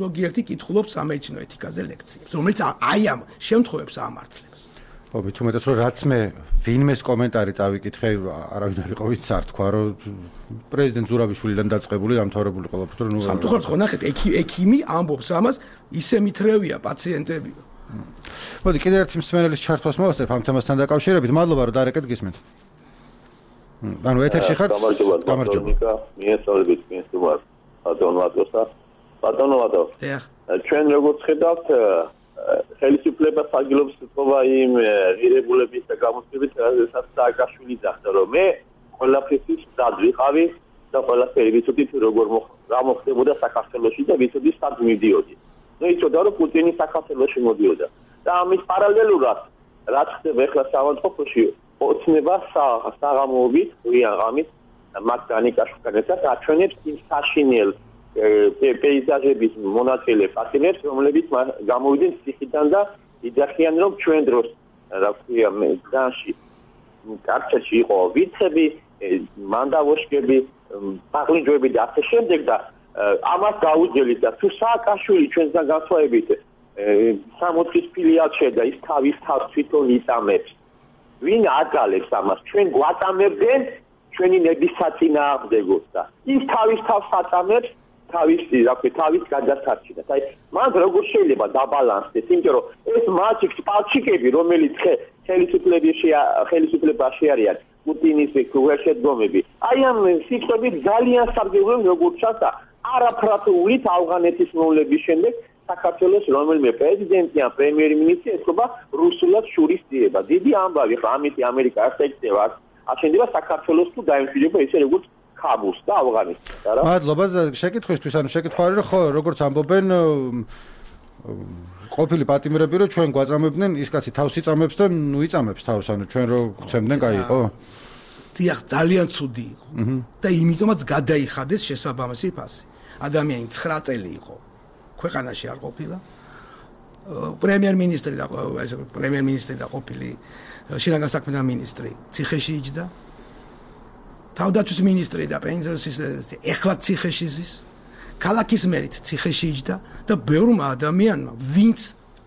ზოგიერთი კითხულობს სამეცნიერო ეთიკაზე ლექციებს, რომელიც აი ამ შემთხვევებს ამართლებს. ხო, თუმცა რომ რაც მე ვინმეს კომენტარი წავიკითხე, არავინ არ იყო ვინც არ თქვა, რომ პრეზიდენტ ზურაბიშვილიდან დაწყებული დამთავრებული ყველაფერი, რომ ნუ სამწუხაროდ ხო ნახეთ, ექიმი ამბობს ამას, ისე მითრევია პაციენტებიო. მოდი კიდევ ერთი მსმენელის ჩართვას მოვასწრებ ამ თემასთან დაკავშირებით. მადლობა რომ დარეკეთ გისმენთ. ანუ ეთერში ხართ? გამარჯობა. მიესალმებით მისუმარ ბატონოატოსა. ბატონოატო. ჩვენ როგორც ხედავთ, ხელისუფლება საგილობს თქობა იმ ღირებულების და გამოცდილების, რასაც სააკაშვილი ძახდა, რომ მე ყველაფრის მზად ვიყავი და ყველაფერი ვიცოდით როგორ გამოხდებოდა საქართველოში და ვიცოდი სად მივდიოდი. ნუ იცოდა რომ პუტინი საქართველოში მოდიოდა და ამის პარალელურად რაც ხდება ახლა საავადმყოფოში ოცნება საღამოობით ღია ღამით მაგდანიკაშვილთან ერთად აჩვენებს იმ საშინელ პეიზაჟების მონაწილე პატიმერს, რომლებიც გამოვიდნენ ციხიდან და იძახიან რომ ჩვენ დროს რა ქვია მედანში კარჩეთში იყო ვიცები, მანდავოშკები, პაღლინჯოები და ასე შემდეგ და ამას გაუძელით და თუ სააკაშვილი ჩვენთან გასვაებით სამოთხის ფილიალს შედა ის თავის თავს თვითონ იწამებს. ვინ აკალებს ამას? ჩვენ გვაწამებდნენ ჩვენი ნების საწინააღმდეგოს და ის თავის თავს აწამებს თავის რა ქვია თავის გადასარჩენად. აი მან როგორ შეიძლება დაბალანსდეს, იმიტომ რომ ეს მაჩიკს პალჩიკები, რომელიც ხელისუფლებაში ხელისუფლებაში არიან პუტინის შედგომები. აი ამ სიტყვებით ძალიან სარგებლობენ როგორც ჩასა არაფრათულით ავღანეთის მოვლების შემდეგ საქართველოს რომელიმე პრეზიდენტი ან პრემიერ-მინისტრი ეთქობა რუსულად შურის ძიება. დიდი ამბავი ხა ამითი ამერიკა არ შეეცდება აშენდება საქართველოს თუ დაემშვიდობა ისე როგორც ქაბულს და ავღანეთს რა. მადლობა შეკითხვისთვის, ანუ შეკითხვა არის, ხო, როგორც ამბობენ ყოფილი პატიმრები, რომ ჩვენ გვაწამებდნენ, ის კაცი თავს იწამებს და ნუ იწამებს თავს, ანუ ჩვენ რო გვცემდნენ, კაი იყო. დიახ, ძალიან ცუდი იყო. და იმიტომაც გადაიხადეს შესაბამისი ფასი. ადამიანი ცხრა წელი იყო. ქვეყანაში არ ყოფილა. პრემიერ-მინისტრი და ეს პრემიერ-მინისტრი და ყოფილი შინაგან საქმეთა მინისტრი ციხეში იჯდა. თავდაცვის მინისტრი და პენსიის ეხლა ციხეში ზის. ქალაქის მერით ციხეში იჯდა და ბევრმა ადამიანმა ვინც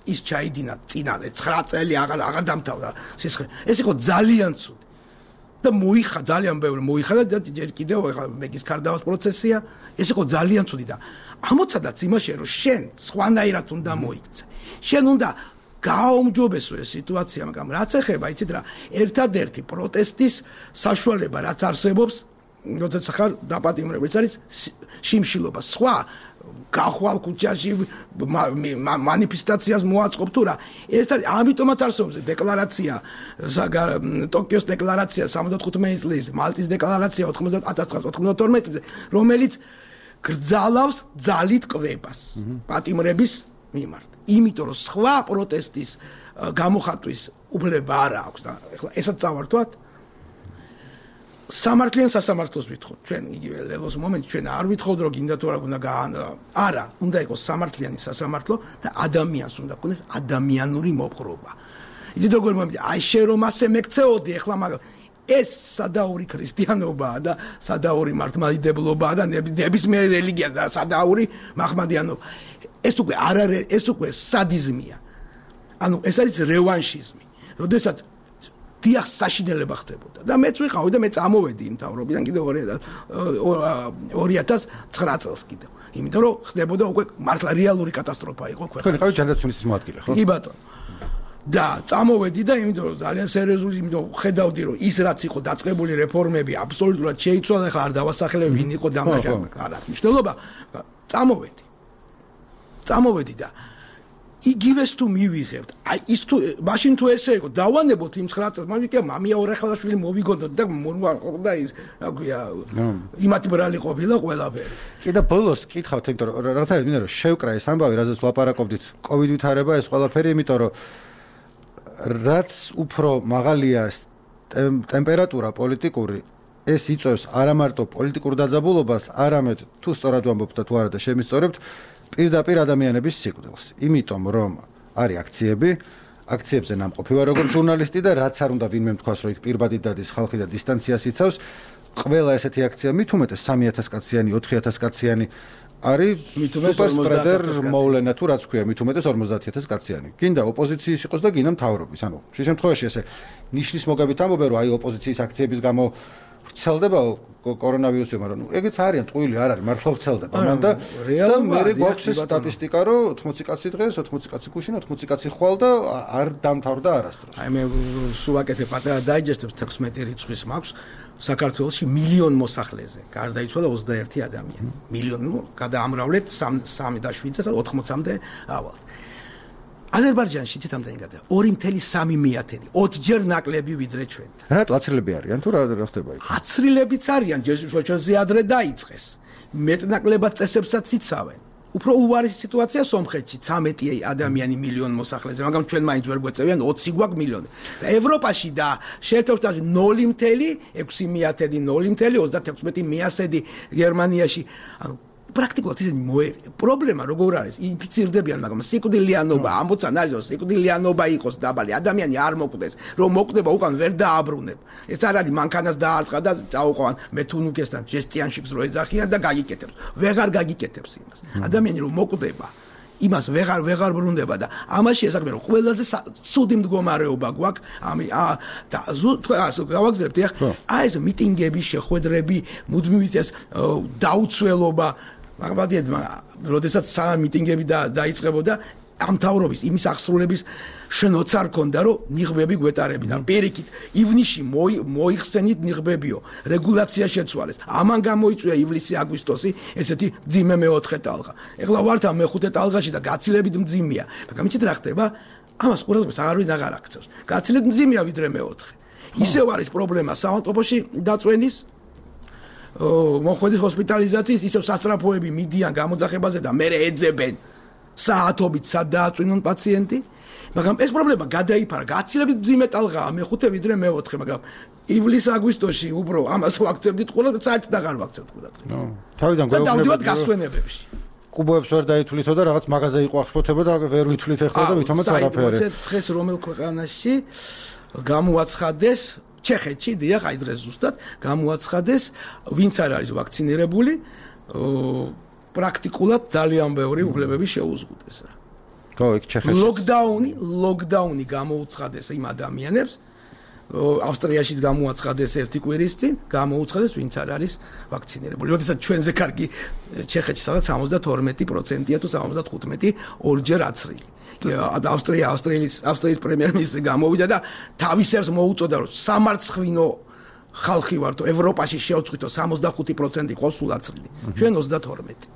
ის ჩაიდინა წინა ცხრა წელი აღარ აღარ დამთავრდა სისხლი. ეს იყო ძალიან ცუდი. და მოიხა ძალიან ბევრი მოიხადა და ჯერ კიდევ ეხლა მეგის კარდაოს პროცესია. ეს იყო ძალიან ცუდი და ამოცადაც იმაშია რომ შენ სხვანაირად უნდა მოიქცე. შენ უნდა გააუმჯობესო ეს სიტუაცია, მაგრამ რაც ეხება, იცით რა, ერთადერთი პროტესტის საშუალება რაც არსებობს, როდესაც ხარ დაპატიმრებული, ეს არის შიმშილობა. სხვა გახვალ ქუჩაში მანიფესტაციას მოაწყობ თუ რა. ეს არის ამიტომაც არსებობს დეკლარაცია, ტოკიოს დეკლარაცია სამოცდათხუთმეტი წლის, მალტის დეკლარაცია ათას ცხრაასა ოცდათორმეტი წლის, რომელიც გრძალავს ძალით კვებას პატიმრების მიმართ. იმიტომ რომ სხვა პროტესტის გამოხატვის უფლება არ აქვს და ეხლა ესაც წავართვათ სამართლიან სასამართლოს ვითხოვთ. ჩვენ იგივე ლელოს მომენტში ჩვენ არ ვითხოვთ რომ გინდა თუ არა უნდა არა, უნდა იყოს სამართლიანი სასამართლო და ადამიანს უნდა ქონდეს ადამიანური მოპყრობა. იცით როგორ მომენტი, აი შენ რომ ასე მეკცეოდი ეხლა მაგრამ ეს სადაური ქრისტიანობაა და სადაური მართლმადიდებლობაა და ნებისმიერი რელიგია და სადაური მაჰმადიანობა. ეს უკვე არ არის, ეს უკვე სადიზმია. ანუ ეს არის რევანშიზმი. როდესაც დიახ საშინელება ხდებოდა და მეც ვიყავი და მე წამოვედი იმ თავრობიდან კიდევ ორი ათას ცხრა წელს კიდევ. იმიტომ რომ ხდებოდა უკვე მართლა რეალური კატასტროფა იყო ქვეყანაში. თქვენ იყავით ჯანდაცვის მოადგილე, ხო? კი ბატონო. და წამოვედი და იმიტომ რომ ძალიან სერიოზული, იმიტომ ხედავდი რომ ის რაც იყო დაწყებული რეფორმები აბსოლუტურად შეიცვალა, ხა არ დავასახელებ ვინ იყო დამაჟანი, არ აქვს მნიშვნელობა. წამოვედი. წამოვედი და იგივეს თუ მივიღებთ. აი ის თუ მაშინ თუ ესე იყო, დავანებოთ იმ ცხრა წელს, მაგრამ კი მამია ორახალაშვილი მოვიგონდოთ და და ის რა ქვია, იმათი ბრალი ყოფილა ყველაფერი. კი და ბოლოს კითხავთ, იმიტომ რომ რაღაც არის მინდა რომ შევკრა ეს ამბავი, რაზეც ვლაპარაკობდით, კოვიდ ვითარება ეს ყველაფერი, იმიტომ რომ რაც უფრო მაღალია ტემპერატურა პოლიტიკური, ეს იწვევს არა მარტო პოლიტიკურ დაძაბულობას, არამედ თუ სწორად ვამბობთ და თუ არა და შემისწორებთ, პირდაპირ ადამიანების სიკვდილს. იმიტომ რომ არის აქციები, აქციებზე ნამყოფი ვარ როგორც ჟურნალისტი და რაც არ უნდა ვინმე თქვას, რომ იქ პირბადით დადის ხალხი და დისტანციას იცავს, ყველა ესეთი აქცია მით უმეტეს სამი ათას კაციანი, ოთხი ათას კაციანი არის სუპერ სპრედერ მოვლენა თუ რაც ქვია, მით უმეტეს ორმოცდაათი ათას კაციანი. გინდა ოპოზიციის იყოს და გინდა მთავრობის. ანუ შე შემთხვევაში ესე ნიშნის მოგებით ამბობენ, რომ აი ოპოზიციის აქციების გამო ვრცელდება კორონავირუსი, მაგრამ ნუ ეგეც არიან ტყუილი არ არის, მართლა ვრცელდება. მან და და მე გვაქვს სტატისტიკა, რომ ოთხმოცი კაცი დღეს, ოთხმოცი კაცი გუშინ, ოთხმოცი კაცი ხვალ და არ დამთავრდა არასდროს. აი მე სულ აკეთებ პატარა დაიჯესტებს თექვსმეტი რიცხვის მაქვს საქართველოში მილიონ მოსახლეზე. გარდაიცვალა ოცდაერთი ადამიანი. მილიონი, ნუ გადაამრავლეთ სამი და შვიდს და ოთხმოცამდე ავალ. აზერბაიჯანში თითამდე გადა ორი წუთი სამი მეათედი, ოცჯერ ნაკლები ვიდრე ჩვენ. რატო აცრილები არიან თუ რა ხდება იქ? აცრილებიც არიან, ჩვენზე ადრე დაიწყეს. მეტნაკლებად წესებსაც იცავენ. უფრო უვარესი სიტუაცია სომხეთში, ცამეტი ადამიანი მილიონ მოსახლეზე, მაგრამ ჩვენ მაინც ვერ გვეწევიან ოცი გვაქვს მილიონი. და ევროპაში და შეერთებულ შტატებში ნული წუთი ექვსი მეათედი, ნული წუთი ოცდათექვსმეტი მეასედი გერმანიაში. ანუ პრაქტიკულად ისინი მოერია. პრობლემა როგორ არის? ინფიცირდებიან, მაგრამ სიკვდილიანობა, ამბოცან არის, რომ სიკვდილიანობა იყოს დაბალი, ადამიანი არ მოკვდეს, რომ მოკვდება უკან ვერ დააბრუნებ. ეს არ არის მანქანას დაარტყა და წაუყვან მეთუნუკესთან ჟესტიანშიკს რო ეძახიან და გაგიკეთებს. ვეღარ გაგიკეთებს იმას. ადამიანი რომ მოკვდება, იმას ვეღარ ვეღარ ბრუნდება და ამაში ესაკმე რომ ყველაზე ცუდი მდგომარეობა გვაქვს, ამი ა და გავაგზავნებთ ახლა აი ეს მიტინგები, შეხვედრები, მუდმივით ეს დაუცველობა მაგალითად, როდესაც სამ მიტინგები დაიწყებოდა ამ თავრობის იმის აღსრულების შნოც არ ქონდა, რომ ნიღბები გვეტარებინა. პირიქით, ივნისში მოიხსენით ნიღბებიო, რეგულაცია შეცვალეს. ამან გამოიწვია ივლისი-აგვისტოსი ესეთი მძიმე მეოთხე ტალღა. ეხლა ვართ ამ მეხუთე ტალღაში და გაცილებით მძიმეა. მაგრამ იცით რა ხდება? ამას ყურადღებას აღარ ვინ აღარ აქცევს. გაცილებით მძიმეა ვიდრე მეოთხე. ისევ არის პრობლემა საავტობუსში დაწვენის მოხვედის ჰოსპიტალიზაციის, ისევ სასწრაფოები მიდიან გამოძახებაზე და მერე ეძებენ საათობით სად დააწვინონ პაციენტი, მაგრამ ეს პრობლემა გადაიფარა, გაცილებით მძიმე ტალღაა მეხუთე ვიდრე მეოთხე, მაგრამ ივლის-აგვისტოში უფრო ამას ვაქცევდით ყურადღებას, საერთოდ აღარ ვაქცევთ ყურადღებას. ნო, თავიდან გვეუბნებოდი. და დავდივართ გასვენებებში. კუბოებს ვერ დაითვლითო და რაღაც მაღაზია იყო აღშფოთება და ვერ ვითვლით ახლა და ვითომაც არაფერი. აი, დღეს რომელ ქვეყანაში გამოაცხადეს ჩეხეთში, დიახ, აი დღეს ზუსტად გამოაცხადეს, ვინც არ არის ვაქცინირებული, პრაქტიკულად ძალიან ბევრი უფლებები შეუზღუდეს რა. ხო, იქ ჩეხეთში. ლოკდაუნი, ლოკდაუნი გამოუცხადეს იმ ადამიანებს, ავსტრიაშიც გამოაცხადეს ერთი კვირის წინ, გამოუცხადეს ვინც არ არის ვაქცინირებული. როდესაც ჩვენზე კარგი ჩეხეთში სადაც სამოცდათორმეტი პროცენტია თუ სამოცდათხუთმეტი ორჯერ აცრილი. ავსტრია, ავსტრიის ავსტრიის პრემიერ-მინისტრი გამოვიდა და თავის ერს მოუწოდა, რომ სამარცხვინო ხალხი ვართ, ევროპაში შევწყვიტო სამოცდახუთი პროცენტი ყავს სულ აცრილი. ჩვენ ოცდათორმეტი.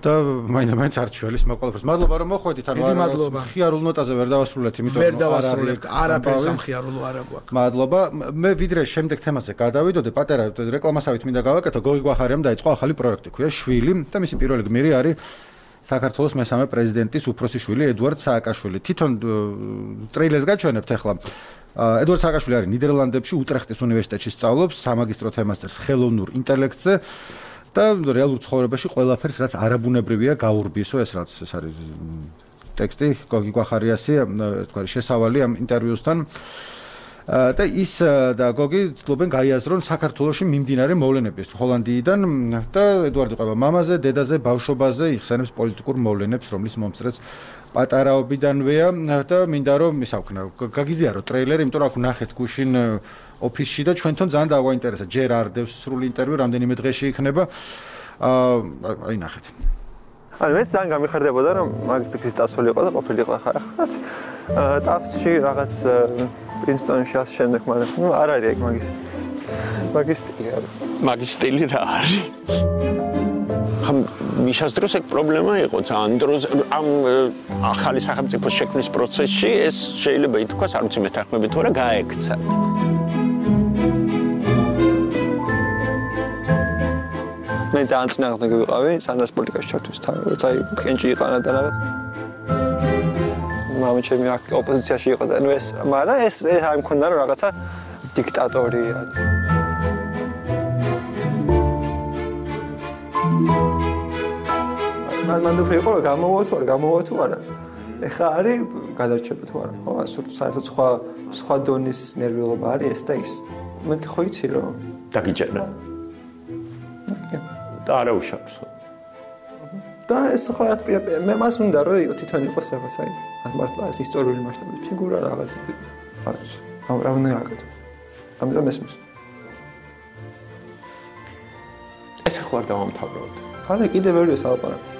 და მაინც არ ჩვეულის მოყოლებს. მადლობა რომ მოხვედით, ანუ არა ხიარულ ნოტაზე ვერ დავასრულეთ, იმიტომ ვერ დავასრულებთ, არაფერს სამხიარულო არ აქვს. მადლობა. მე ვიდრე შემდეგ თემაზე გადავიდოდე, პატარა რეკლამასავით მინდა გავაკეთო, გოგი გვახარიამ დაიწყო ახალი პროექტი, ქვია შვილი და მისი პირველი გმირი არის საქართველოს მესამე პრეზიდენტის უფროსი შვილი ედუარდ სააკაშვილი. თვითონ ტრეილერს გაჩვენებთ ახლა. ედუარდ სააკაშვილი არის ნიდერლანდებში უტრეხტის უნივერსიტეტში სწავლობს სამაგისტრო თემას წერს ხელოვნურ ინტელექტზე და რეალურ ცხოვრებაში ყველაფერს რაც არაბუნებრივია გაურბისო, ეს რაც ეს არის ტექსტი გოგი გვახარიასი, თქვა შესავალი ამ ინტერვიუსთან. და ის და გოგი ცდილობენ გაიაზრონ საქართველოში მიმდინარე მოვლენების ჰოლანდიიდან და ედუარდი ყובה მამაზე, დედაზე, ბავშვობაზე იხსენებს პოლიტიკურ მოვლენებს, რომლის მომწრეც პატარაობიდანვეა და მინდა რომ ისავქნა გაგიზიარო ტრეილერი, იმიტომ რომ აქ ნახეთ გუშინ ოფისში და ჩვენთან ძალიან დავაინტერესა. ჯერ არ დევს სრული ინტერვიუ, რამდენიმე დღეში იქნება. აი ნახეთ. ანუ მე ძალიან გამიხარდებოდა რომ მაგის წასული იყო და ყოფილიყო ახლა ხაც ტაფში რაღაც პრინსტონში ამ შემდეგ, მაგრამ ნუ არ არის ეგ მაგის მაგის სტილი არის. მაგის სტილი რა არის? ხომ მიშას დროს ეგ პრობლემა იყო ძალიან დროს ამ ახალი სახელმწიფოს შექმნის პროცესში ეს შეიძლება ითქვას, არ ვიცი მეთანხმებით თუ არა გაექცათ. მე ძალიან წინააღმდეგი ვიყავი სანდას პოლიტიკაში ჩართვის თან, როცა აი კენჭი იყანა და რაღაც მამი ჩემი აქ ოპოზიციაში იყო და ნუ ეს, მაგრამ ეს ეს არ მქონდა რომ რაღაცა დიქტატორი არის. მან მან უფრო იყო გამოვა თუ არა, გამოვა თუ არა. ეხა არის გადარჩება თუ არა? ხო, საერთოდ სხვა სხვა დონის ნერვიულობა არის ეს და ის. მეთქი ხო იცი რომ დაგიჭერა. და არა უშავს. და ეს ხო მე მას უნდა რომ თვითონ იყოს რაღაც აი მართლა ეს ისტორიული მასშტაბის ფიგურა რაღაც არც რა უნდა აკეთო. ამიტომ ესმის. ეს ხო არ დავამთავროთ. ხარ კიდე ვერია სალაპარაკო.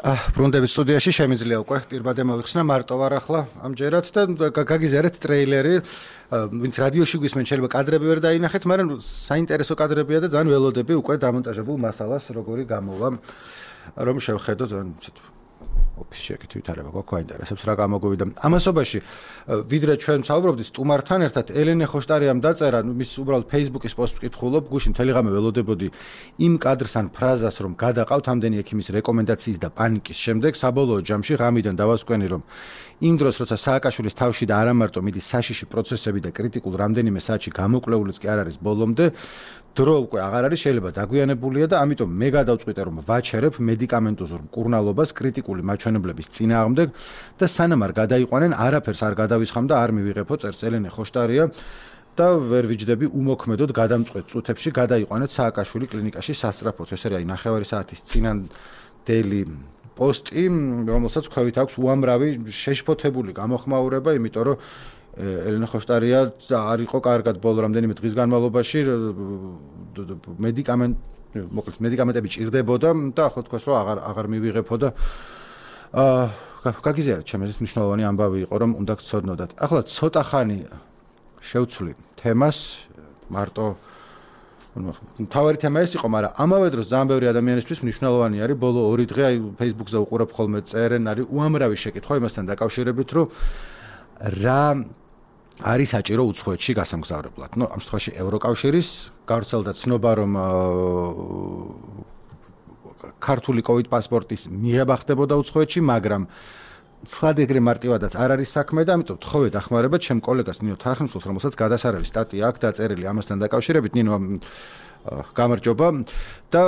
ბრუნდების სტუდიაში შემიძლია უკვე პირბადე მოვიხსნა მარტო ვარ ახლა ამჯერად და გაგიზიარეთ ტრეილერი ვინც რადიოში გვისმენ შეიძლება კადრები ვერ დაინახეთ მაგრამ საინტერესო კადრებია და ძალიან ველოდები უკვე დამონტაჟებულ მასალას როგორი გამოვა რომ შევხედოთ ოფისში ეკეთ ვითარება გვაქვს აინტერესებს რა გამოგვივიდა ამასობაში ვიდრე ჩვენ ვსაუბრობდით სტუმართან ერთად ელენე ხოშტარიამ დაწერა მის უბრალოდ Facebook-ის პოსტს ვკითხულობ გუშინ მთელი ღამე ველოდებოდი იმ კადრს ან ფრაზას რომ გადაყავთ ამდენი ექიმის რეკომენდაციის და პანიკის შემდეგ საბოლოო ჯამში ღამიდან დავასკვენი რომ იმ დროს როცა სააკაშვილის თავში და არა მარტო მიდის საშიში პროცესები და კრიტიკულ რამდენიმე საათში გამოკვლეულიც კი არ არის ბოლომდე დრო უკვე აღარ არის შეიძლება დაგვიანებულია და ამიტომ მე გადავწყვიტე რომ ვაჩერებ მედიკამენტოზურ მკურნალობას კრიტიკული მაჩვენებლების წინააღმდეგ და სანამ არ გადაიყვანენ არაფერს არ გადავისხამ და არ მივიღებო წერს ელენე ხოშტარია და ვერ ვიჯდები უმოქმედოდ გადამწყვეტ წუთებში გადაიყვანეთ სააკაშვილი კლინიკაში სასწრაფოდ ეს არის ნახევარი საათის წინანდელი პოსტი რომელსაც ქვევით აქვს უამრავი შეშფოთებული გამოხმაურება იმიტომ რომ ელენე ხოშტარია არ იყო კარგად ბოლო რამდენიმე დღის განმავლობაში მედიკამენტ მოკლედ მედიკამენტები ჭირდებოდა და ახლა თქვას რომ აღარ აღარ მივიღებო და აა გაგიზიარეთ ჩემთვის მნიშვნელოვანი ამბავი იყო რომ უნდა გცოდნოდათ ახლა ცოტა ხანი შევცვლი თემას მარტო თავარი თემა ეს იყო მაგრამ ამავე დროს ძალიან ბევრი ადამიანისთვის მნიშვნელოვანი არის ბოლო ორი დღე აი Facebook-ზე უყურებ ხოლმე წერენ არის უამრავი შეკითხვა იმასთან დაკავშირებით რომ რა არის საჭირო უცხოეთში გასამგზავრებლად. ნუ ამ შემთხვევაში ევროკავშირის გავრცელდა ცნობა რომ ქართული COVID პასპორტის მიღება ხდებოდა უცხოეთში, მაგრამ თქვათ ეგრე მარტივადაც არ არის საქმე და ამიტომ თხოვე დახმარება ჩემ კოლეგას ნინო თარხნიშვილს, რომელსაც გადასარევი სტატია აქვს დაწერილი ამასთან დაკავშირებით. ნინო გამარჯობა და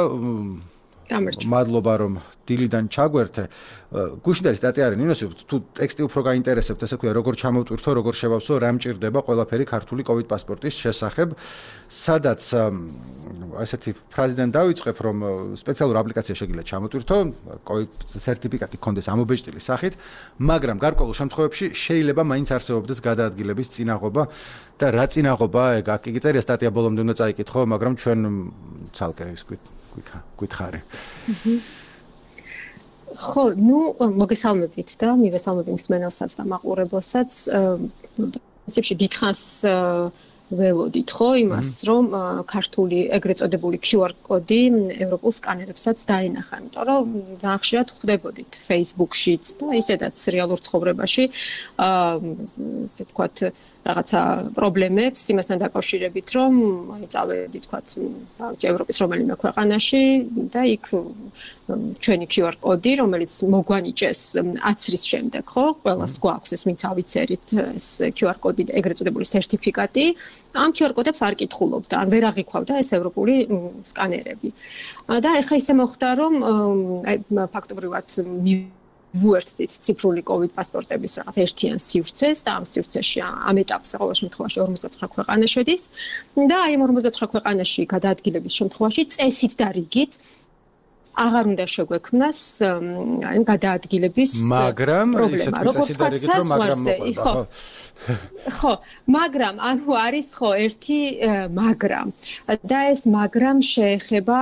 მადლობა რომ დილიდან ჩაგვერთე. გუშინდელი სტატია არის ნინოს თუ ტექსტი უფრო გაინტერესებთ ესე ქვია როგორ ჩამოვტვირთო როგორ შევავსო რა მჭირდება ყველაფერი ქართული COVID პასპორტის შესახებ სადაც ასეთი ფრაზიდან დავიწყებ რომ სპეციალური აპლიკაცია შეგიძლიათ ჩამოვტვირთო COVID სერტიფიკატი გქონდეს ამობეჭდილი სახით მაგრამ გარკვეულ შემთხვევებში შეიძლება მაინც არსებობდეს გადაადგილების წინაღობა და რა წინაღობა ეგ აქ იგი წერია სტატია ბოლომდე უნდა წაიკითხო მაგრამ ჩვენ ცალკე ის გითხარი ხო, ნუ მოგესალმებით და მივესალმები მსმენელსაც და მაყურებელსაც. პრინციპში დიდხანს ველოდით ხო იმას, რომ ქართული ეგრეთ წოდებული Q R კოდი ევროპულ სკანერებსაც დაენახა, იმიტომ რომ ძალიან ხშირად ხვდებოდით Facebook-შიც და ისედაც რეალურ ცხოვრებაში, ასე ვთქვათ, რაღაცა პრობლემებს იმასთან დაკავშირებით, რომ აი წავედი თქვათ, ევროპის რომელიმე ქვეყანაში და იქ ჩვენი Q R კოდი, რომელიც მოგვანიჭეს აცრის შემდეგ, ხო? ყველას გვაქვს ეს, ვინც ავიცერით ეს Q R კოდი და ეგრეთ წოდებული სერტიფიკატი, ამ Q R კოდებს არ კითხულობდა, ან ვერ აღიქვავდა ეს ევროპული სკანერები. და ეხლა ისე მოხდა, რომ აი ფაქტობრივად ვუერთდით ციფრული COVID პასპორტების რაღაც ერთიან სივრცეს და ამ სივრცეში ამ ეტაპზე ყოველ შემთხვევაში ორმოცდაცხრა ქვეყანა შედის და აი ამ ორმოცდაცხრა ქვეყანაში გადაადგილების შემთხვევაში წესით და რიგით აღარ უნდა შეგვექმნას აი გადაადგილების მაგრამ პრობლემა როგორც საზღვარზე ხო ხო მაგრამ ანუ არის ხო ერთი მაგრამ და ეს მაგრამ შეეხება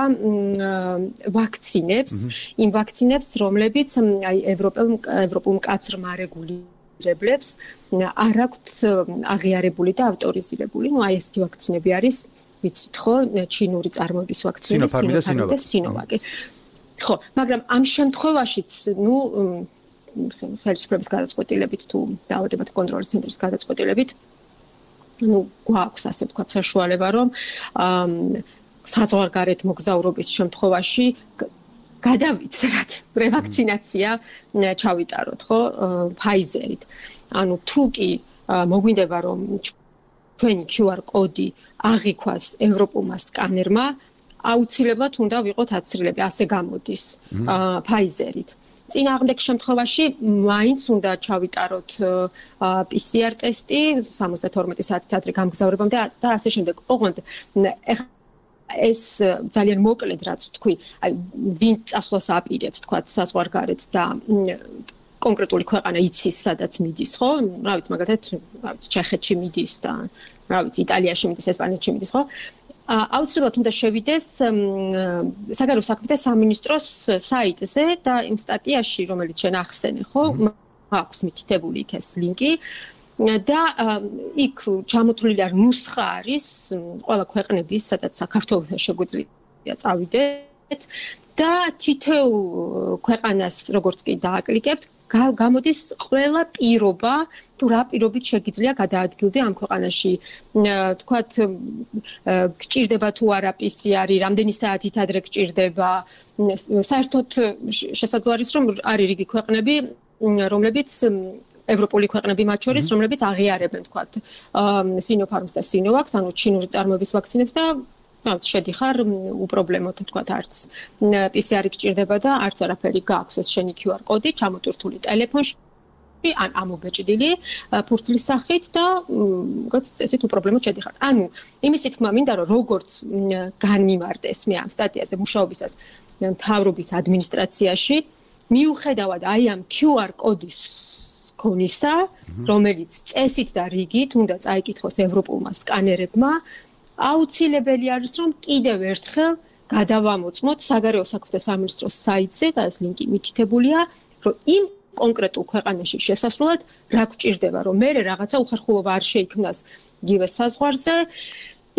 ვაქცინებს იმ ვაქცინებს რომლებიც აი ევროპელ ევროპულ მკაცრმა რეგულირებლებს არ აქვთ აღიარებული და ავტორიზირებული ну აი ესეთი ვაქცინები არის ვიცით ხო ჩინური წარმოების ვაქცინები სინოფარმი და სინოვაკი ხო, მაგრამ ამ შემთხვევაშიც, ну, ხელისუფლების გადაწყვეტილებით თუ დაავადებათა კონტროლის ცენტრის გადაწყვეტილებით, ну, გვაქვს ასე ვთქვათ საშუალება, რომ საზღვარგარეთ მოგზაურობის შემთხვევაში გადავიცრათ რევაქცინაცია ჩავიტაროთ, ხო, Pfizer-ით. ანუ თუ კი მოგვინდება რომ თქვენი Q R კოდი აღიქვას ევროპულმა სკანერმა, აუცილებლად უნდა ვიყოთ აცრილები, ასე გამოდის Pfizer-ით. წინააღმდეგ შემთხვევაში მაინც უნდა ჩავიტაროთ P C R ტესტი სამოცდათორმეტი საათით ადრე გამგზავრებამდე და ასე შემდეგ. ოღონდ ეს ძალიან მოკლედ რაც თქვი, აი ვინც წასვლას აპირებს, თქვა საზღვარგარეთ და კონკრეტული ქვეყანა იცის, სადაც მიდის, ხო? რა ვიცი, მაგალითად, რა ვიცი, ჩეხეთში მიდის და რა ვიცი, იტალიაში მიდის, ესპანეთში მიდის, ხო? აუცილებლად უნდა შევიდეს საგარეო საქმეთა სამინისტროს საიტზე და იმ სტატიაში, რომელიც შენ ახსენე, ხო? აქვს მითითებული იქ ეს ლინკი და იქ ჩამოთვლილი არ ნუსხა არის ყველა ქვეყნების, სადაც საქართველოს შეგვიძლია წავიდეთ და თითოეულ ქვეყანას როგორც კი დააკლიკებთ, გამოდის ყველა პირობა, თუ რა პირობით შეგიძლია გადაადგილდე ამ ქვეყანაში. თქვათ, გჭირდება თუ არა P C R-ი, რამდენი საათით ადრე გჭირდება. საერთოდ შესაძლოა არის, რომ არის რიგი ქვეყნები, რომლებიც ევროპული ქვეყნები მათ შორის, რომლებიც აღიარებენ, თქვათ, Sinopharm-ს და Sinovac-ს, ანუ ჩინური წარმოების ვაქცინებს და რაც შედიხარ უპრობლემოდ თქვათ არც P C R-ი გჭირდება და არც არაფერი გაქვს ეს შენი Q R კოდი ჩამოტვირთული ტელეფონში ან ამობეჭდილი ფურცლის სახით და როგორც წესით უპრობლემოდ შედიხარ. ანუ იმისი თქმა მინდა რომ როგორც განმიმარტეს მე ამ სტატიაზე მუშაობისას მთავრობის ადმინისტრაციაში მიუხედავად აი ამ Q R კოდის ქონისა, რომელიც წესით და რიგით უნდა წაიკითხოს ევროპულმა სკანერებმა, აუცილებელი არის რომ კიდევ ერთხელ გადავამოწმოთ საგარეო საქმეთა სამინისტროს საიტზე და ეს ლინკი მითითებულია, რომ იმ კონკრეტულ ქვეყანაში შესასვლელად რა გჭირდება, რომ მე რაღაცა უხერხულობა არ შეიქმნას იგივე საზღვარზე,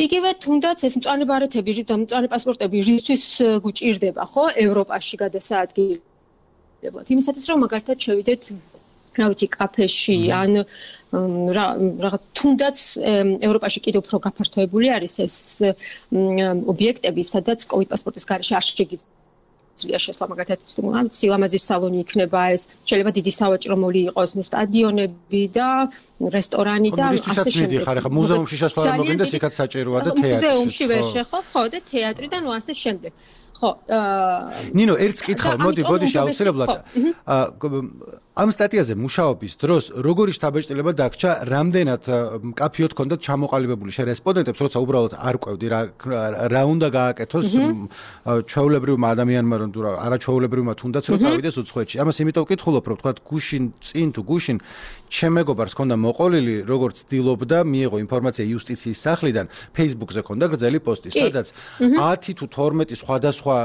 იგივე თუნდაც ეს მწვანე ბარეთები და მწვანე პასპორტები რისთვის გჭირდება, ხო, ევროპაში გადასაადგილებლად. იმისათვის რომ მაგალითად შევიდეთ რა ვიცი, კაფეში ან რაღაც თუნდაც ევროპაში კიდევ უფრო გაფართოებული არის ეს ობიექტები, სადაც COVID პასპორტის გარეშე არ შეგიძლია შესვლა, მაგალითად, სილამაზის სალონი იქნება ეს, შეიძლება დიდი სავაჭრო მოლი იყოს, ნუ სტადიონები და რესტორანი და ასე შემდეგ. ხარ, ხა მუზეუმში შესვლა არ მოგინდეს, იქაც საჭიროა და თეატრი. მუზეუმში ვერ შეხო, ხო, და თეატრი და ნუ ასე შემდეგ. ხო, ნინო, ერთს კითხავ, მოდი, ბოდიში აუცილებლად. ამ სტატიაზე მუშაობის დროს როგორი შთაბეჭდილება დაგჭა, რამდენად მკაფიოდ ჰქონდათ ჩამოყალიბებული შენ რესპონდენტებს, როცა უბრალოდ არ ყვევდი რა რა უნდა გააკეთოს ჩვეულებრივმა ადამიანმა, რომ თუ რა არაჩვეულებრივმა თუნდაც რომ წავიდეს უცხოეთში. ამას იმიტომ ვკითხულობ, რომ თქვა გუშინ წინ თუ გუშინ ჩემ მეგობარს ჰქონდა მოყოლილი, როგორც ცდილობდა მიიღო ინფორმაცია იუსტიციის სახლიდან, Facebook-ზე ჰქონდა გრძელი პოსტი, სადაც ათი თუ თორმეტი სხვადასხვა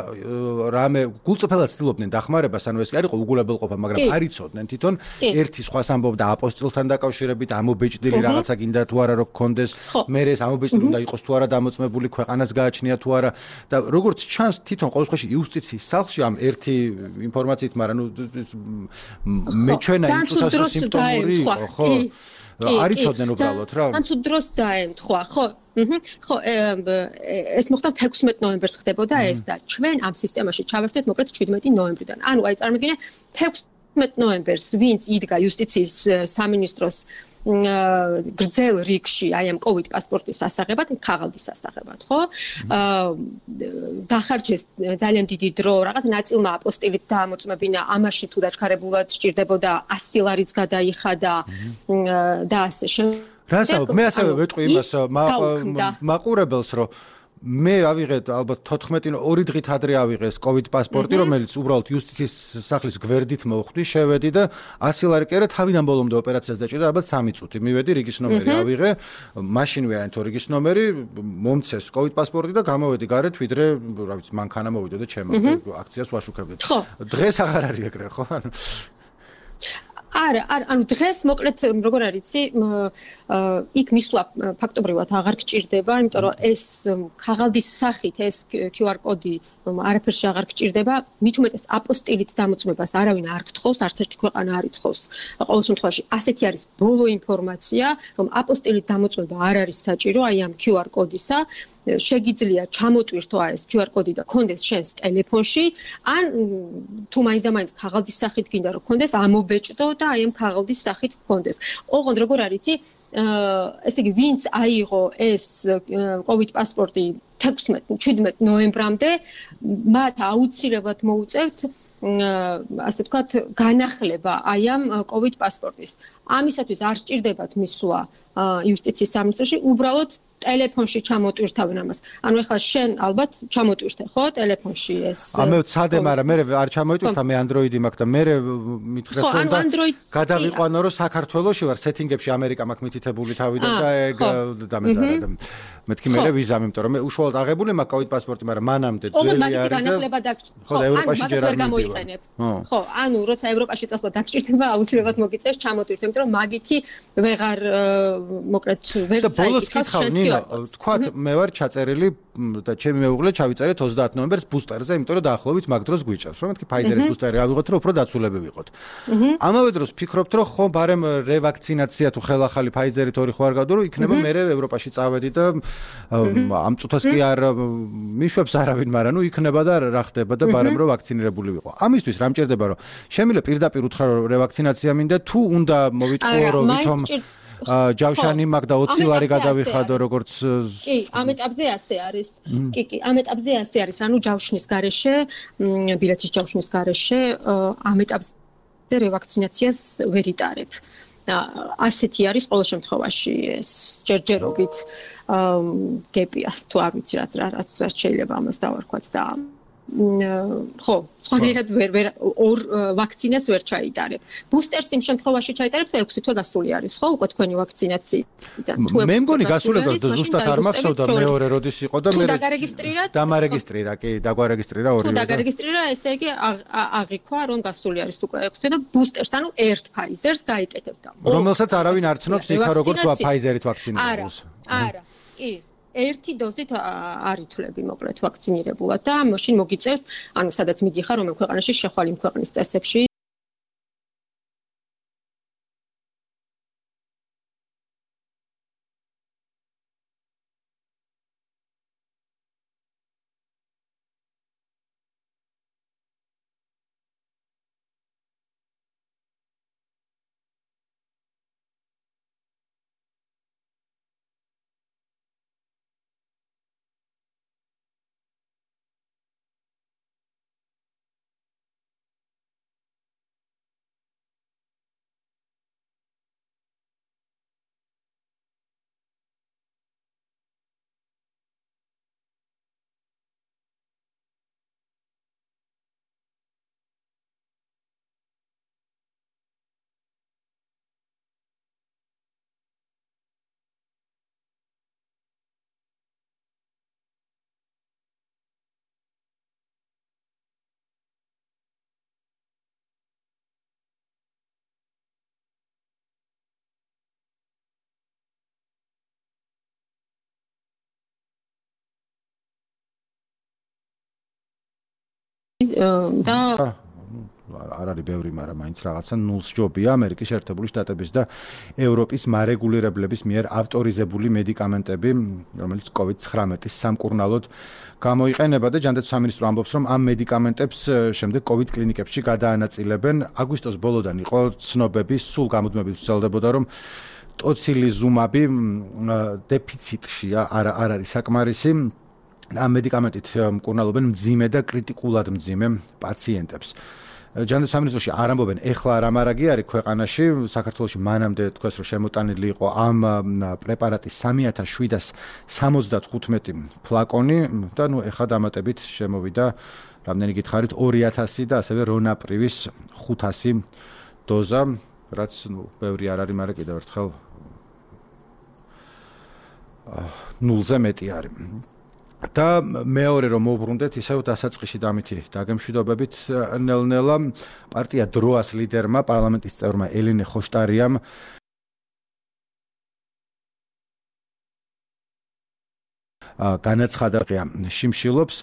რამე გულწრფელად ცდილობდნენ დახმარებას, ანუ ეს კი არ იყო უგულებელყოფა, მაგრამ არ იცოდნენ თვითონ ერთი სხვას ამბობდა აპოსტილთან დაკავშირებით, ამობეჭდილი რაღაცა გინდა თუ არა რომ გქონდეს, მე ეს ამობეჭდილი უნდა იყოს თუ არა დამოწმებული, ქვეყანას გააჩნია თუ არა და როგორც ჩანს თვითონ ყოველ შემთხვევაში იუსტიციის სახლში ამ ერთი ინფორმაციით, მაგრამ ნუ მე ჩვენა იმ წუთას სიმპტომური იყო, ხო? არ იცოდნენ უბრალოდ რა. ან თუ დროს დაემთხვა, ხო? ხო, ეს მოხდა თექვსმეტი ნოემბერს ხდებოდა ეს და ჩვენ ამ სისტემაში ჩავერთვით მოკლედ ჩვიდმეტი ნოემბრიდან. ანუ აი წარმოგიდგენთ თექვსმეტი ნოემბერს ვინც იდგა იუსტიციის სამინისტროს გრძელ რიგში აი ამ COVID პასპორტის სასაღებად, ქაღალდის სასაღებად, ხო? დახარჯეს ძალიან დიდი დრო, რაღაც ნაწილმა აპოსტილით დაამოწმებინა, ამაში თუ დაჩქარებულად სჭირდებოდა ასი ლარიც გადაიხადა და ასე შემდეგ. რასაუბრ, მე ასევე ვეტყვი იმას მაყურებელს, რომ მე ავიღე ალბათ თოთხმეტი ორი დღით ადრე ავიღე ეს COVID პასპორტი, რომელიც უბრალოდ იუსტიციის სახლის გვერდით მოვხვდი, შევედი და ასი ლარი კი არა, თავიდან ბოლომდე ოპერაციას დაჭირდა, ალბათ სამი წუთი. მივედი, რიგის ნომერი ავიღე, მაშინვე აინთო რიგის ნომერი, მომცეს COVID პასპორტი და გამოვედი გარეთ, ვიდრე, რა ვიცი, მანქანა მოვიდოდა ჩემო აქციას ვაშუქებდი. დღეს აღარ არის ეგრე, ხო? არა, არა, ანუ დღეს მოკლედ როგორ არის, იქ მისვლა ფაქტობრივად აღარ გჭირდება, იმიტომ რომ ეს ქაღალდის სახით ეს Q R კოდი არაფერში აღარ გჭირდება, მით უმეტეს აპოსტილით დამოწმებას არავინ არ გთხოვს, არც ერთი ქვეყანა არ ითხოვს. ყოველ შემთხვევაში ასეთი არის ბოლო ინფორმაცია, რომ აპოსტილით დამოწმება არ არის საჭირო, აი ამ Q R კოდისა შეგიძლია ჩამოტვირთო ეს Q R კოდი და კონდეს შენს ტელეფონში, ან თუ მაინც და მაინც ქაღალდის სახით გინდა რომ კონდეს, ამობეჭდო და აი ამ ქაღალდის სახით კონდეს. ოღონდ როგორ არიცი, ესე იგი, ვინც აიღო ეს COVID პასპორტი თექვსმეტ ნოემბრამდე, მათ აუცილებლად მოუწევთ ასე ვთქვათ, განახლება აი ამ COVID პასპორტის. ამისათვის არ სჭირდებათ მისვლა იუსტიციის სამინისტროში, უბრალოდ ტელეფონში ჩამოტვირთავენ ამას. ანუ ეხლა შენ ალბათ ჩამოტვირთე, ხო, ტელეფონში ეს. ამე ვცადე, მაგრამ მე არ ჩამოიტვირთა, მე Android-ი მაქვს და მე მითხრეს რომ და გადავიყვანო რომ საქართველოში ვარ, სეტინგებში ამერიკა მაქვს მითითებული თავიდან და ეგ დამეზარა. მეთქი მე ვიზა, იმიტომ რომ მე უშუალოდ აღებული მაქვს COVID პასპორტი, მაგრამ მანამდე ძველი არის და განახლება დაგჭირდება. ხო, ევროპაში ჯერ არ გამოიყენებ. ხო, ანუ როცა ევროპაში წასვლა დაგჭირდება, აუცილებლად მოგიწევს ჩამოტვირთე, იმიტომ რომ მაგითი ვეღარ მოკლედ ვერ წაიკითხავს შენს თქვათ მე ვარ ჩაწერილი და ჩემი მეუღლე ჩავიწერეთ ოცდაათი ნოემბერს ბუსტერზე, იმიტომ რომ დაახლოებით მაგ დროს გვიჭავს. რომ მეთქი Pfizer-ის ბუსტერი ავიღოთ, რომ უფრო დაცულები ვიყოთ. ამავე დროს ფიქრობთ, რომ ხო, ბარემ რევაქცინაცია თუ ხელახალი Pfizer-ით ორი ხო არ გავდო, რომ იქნება მე ევროპაში წავედი და ამ წუთას კი არ მიშვებს არავინ, მაგრამ ნუ იქნება და რა ხდება და ბარემ რომ ვაქცინირებული ვიყო. ამისთვის რა მჭირდება, რომ შემიძლია პირდაპირ უთხრა რომ რევაქცინაცია მინდა, თუ უნდა მოვიტყუო რომ ვითომ ჯავშანი მაგ და ოცი ლარი გადავიხადო როგორც კი, ამ ეტაპზე ასე არის. კი, კი, ამ ეტაპზე ასე არის. ანუ ჯავშნის გარეშე, ბილეთის ჯავშნის გარეშე ამ ეტაპზე რევაქცინაციას ვერ იტარებ. ასეთი არის ყოველ შემთხვევაში ეს ჯერჯერობით გეპიას თუ არ ვიცი რაც რაც შეიძლება ამას დავარქვათ და ხო, სხვანაირად ვერ ვერ ორ ვაქცინას ვერ ჩაიტარებ. ბუსტერს იმ შემთხვევაში ჩაიტარებ, თუ ექვსი თვე გასული არის, ხო, უკვე თქვენი ვაქცინაციიდან. თუ მე მგონი გასულებდა ზუსტად არ მახსოვდა მეორე როდის იყო და მე დაგარეგისტრირა? დამარეგისტრირა, კი, დაგვარეგისტრირა ორივე. თუ დაგარეგისტრირა, ესე იგი აღიქვა, რომ გასული არის უკვე ექვსი თვე და ბუსტერს, ანუ ერთ Pfizer-ს გაიკეთებ და. რომელსაც არავინ არ ცნობს იქა როგორც Pfizer-ით ვაქცინირებულს. არა, არა, კი. ერთი დოზით არ ითვლები მოკლედ ვაქცინირებულად და მაშინ მოგიწევს, ანუ სადაც მიდიხარ, რომელ ქვეყანაში შეხვალ იმ ქვეყნის წესებში და არ არის ბევრი, მაგრამ მაინც რაღაცა ნულს ჯობია ამერიკის შეერთებული შტატების და ევროპის მარეგულირებლების მიერ ავტორიზებული მედიკამენტები, რომელიც COVID ცხრამეტის სამკურნალოდ გამოიყენება და ჯანდაცვის სამინისტრო ამბობს, რომ ამ მედიკამენტებს შემდეგ COVID კლინიკებში გადაანაწილებენ. აგვისტოს ბოლოდან იყო ცნობები, სულ გამუდმებით ვრცელდებოდა, რომ ტოცილიზუმაბი დეფიციტშია, არ არ არის საკმარისი. ამ მედიკამენტით მკურნალობენ მძიმე და კრიტიკულად მძიმე პაციენტებს. ჯანდაცვის სამინისტროში არ ამბობენ, ეხლა რა მარაგი არის ქვეყანაში, საქართველოში მანამდე თქვეს, რომ შემოტანილი იყო ამ პრეპარატის სამი ათას შვიდას სამოცდათხუთმეტი ფლაკონი და ნუ ეხლა დამატებით შემოვიდა რამდენი გითხარით ორი ათასი და ასევე რონაპრივის ხუთასი დოზა, რაც ნუ ბევრი არ არის, მაგრამ კიდევ ერთხელ ნულზე მეტი არის. და მეორე რომ მოვბრუნდეთ ისევ დასაწყისში დამითი დაგემშვიდობებით ნელ-ნელა პარტია დროას ლიდერმა პარლამენტის წევრმა ელენე ხოშტარიამ განაცხადა შიმშილობს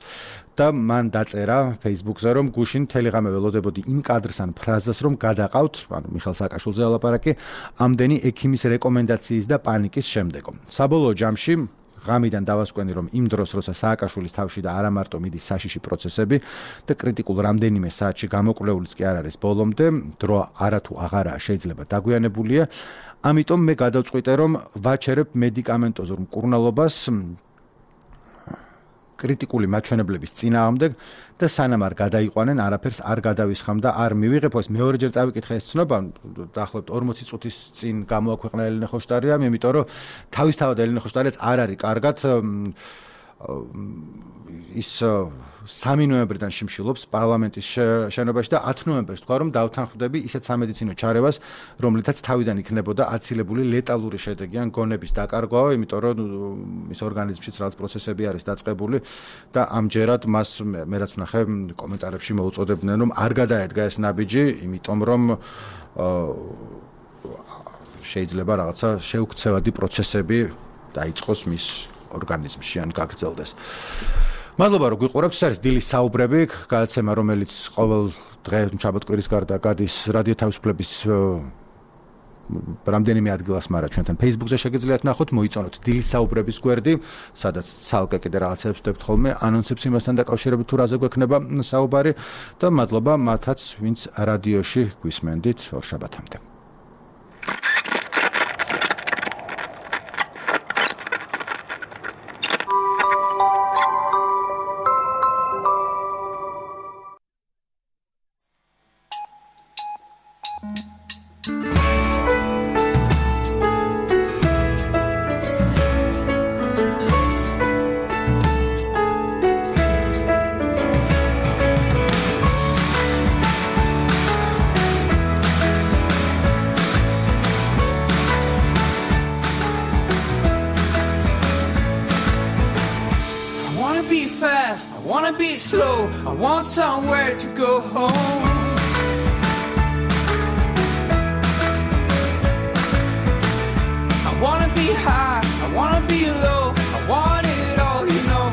და მან დაწერა Facebook-ზე, რომ გუშინ თელეგრამზე ველოდებოდი იმ კადრს ან ფრაზას, რომ გადაყავთ, ანუ მიხეილ სააკაშვილზე ელაპარაკი, ამდენი ექიმის რეკომენდაციის და პანიკის შემდეგო. საბოლოო ჯამში ღამიდან დავასკვენი, რომ იმ დროს, როცა სააკაშვილის თავში და არა მარტო მიდის საშიში პროცესები და კრიტიკულ რამდენიმე საათში გამოკვლეულიც კი არ არის ბოლომდე, დრო არათუ აღარაა შეიძლება დაგვიანებულია, ამიტომ მე გადავწყვიტე, რომ ვაჩერებ მედიკამენტოზურ მკურნალობას კრიტიკული მაჩვენებლების წინააღმდეგ და სანამ არ გადაიყვანენ, არაფერს არ გადავისხამ და არ მივიღებ, ეს მეორეჯერ წავიკითხე ეს ცნობა, დაახლოებით ორმოცი წუთის წინ გამოაქვეყნა ელენე ხოშტარიამ, იმიტომ რომ თავისთავად ელენე ხოშტარიაც არ არის კარგად ის სამი ნოემბრიდან შიმშილობს პარლამენტის შენობაში და ათი ნოემბერს თქვა, რომ დავთანხმდები ისეთ სამედიცინო ჩარევას, რომლითაც თავიდან იქნებოდა აცილებული ლეტალური შედეგი ან გონების დაკარგვა, იმიტომ რომ მის ორგანიზმშიც რაღაც პროცესები არის დაწყებული და ამჯერად მას მე რაც ვნახე კომენტარებში მოუწოდებდნენ, რომ არ გადაედგა ეს ნაბიჯი, იმიტომ რომ შეიძლება რაღაცა შეუქცევადი პროცესები დაიწყოს მის ორგანიზმში ან გაგრძელდეს. მადლობა რომ გვიყურებთ, ეს არის დილის საუბრები, გადაცემა რომელიც ყოველ დღე შაბათ-კვირის გარდა გადის რადიო თავისუფლების რამდენიმე ადგილას, მაგრამ ჩვენთან Facebook-ზე შეგიძლიათ ნახოთ, მოიწონოთ დილის საუბრების გვერდი, სადაც ცალკე კიდე რაღაცებს ვდებთ ხოლმე, ანონსებს იმასთან დაკავშირებით თუ რაზე გვექნება საუბარი და მადლობა მათაც, ვინც რადიოში გვისმენდით ორ შაბათამდე. Somewhere to go home. I wanna be high, I wanna be low, I want it all, you know.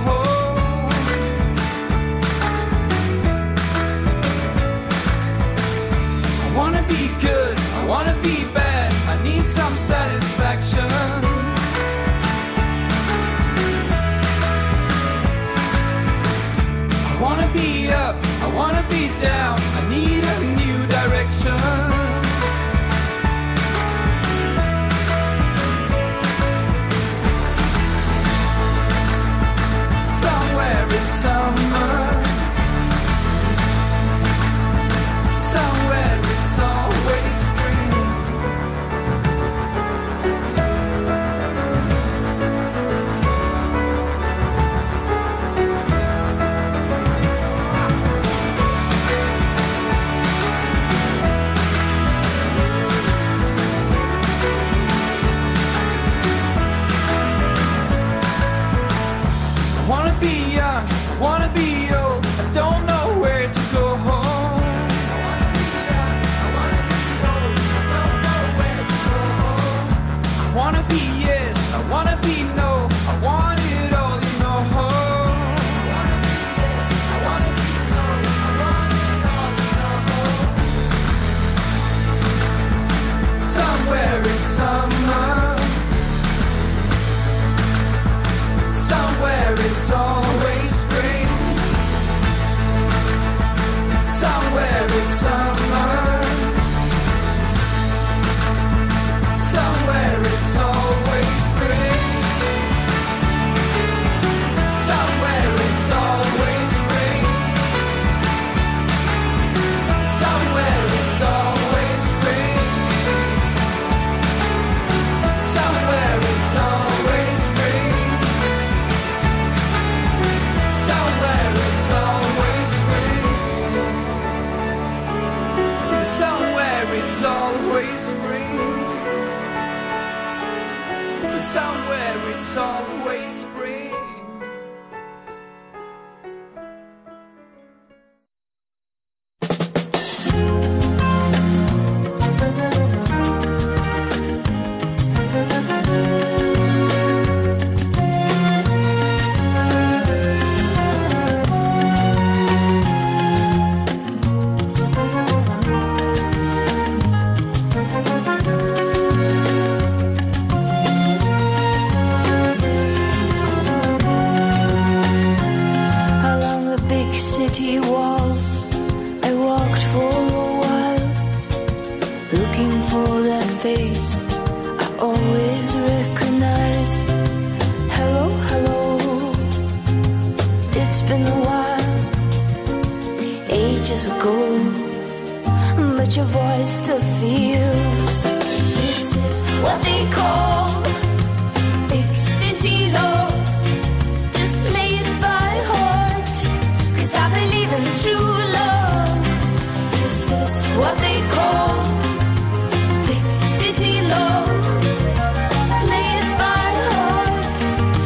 I wanna be good, I wanna be bad, I need some satisfaction. I wanna be up, I wanna be down, I need a new direction. Somewhere it's summer, somewhere it's always spring. city walls. I walked for a while, looking for that face I always recognize. Hello, hello, it's been a while, ages ago, but your voice still feels. This is what they call big city love. Just play it by heart, 'cause I believe in true love. This is what they call big city love. Play it by heart,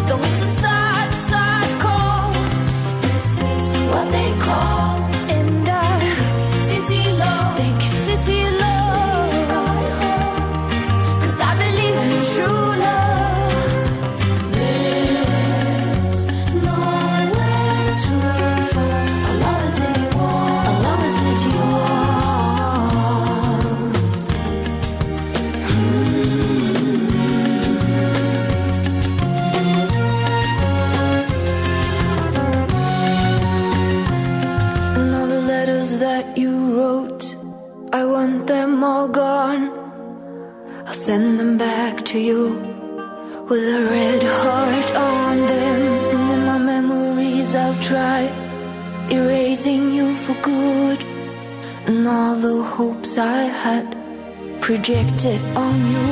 though it's a sad, sad call. This is what they call, and I big city love, big city love, 'cause I believe in true love. There's nowhere to fall along the city wall, along the city walls. And all the letters that you wrote, I want them all gone. I'll send them back to you with a red heart on them. And in my memories I'll try erasing you for good, and all the hopes I had projected on you.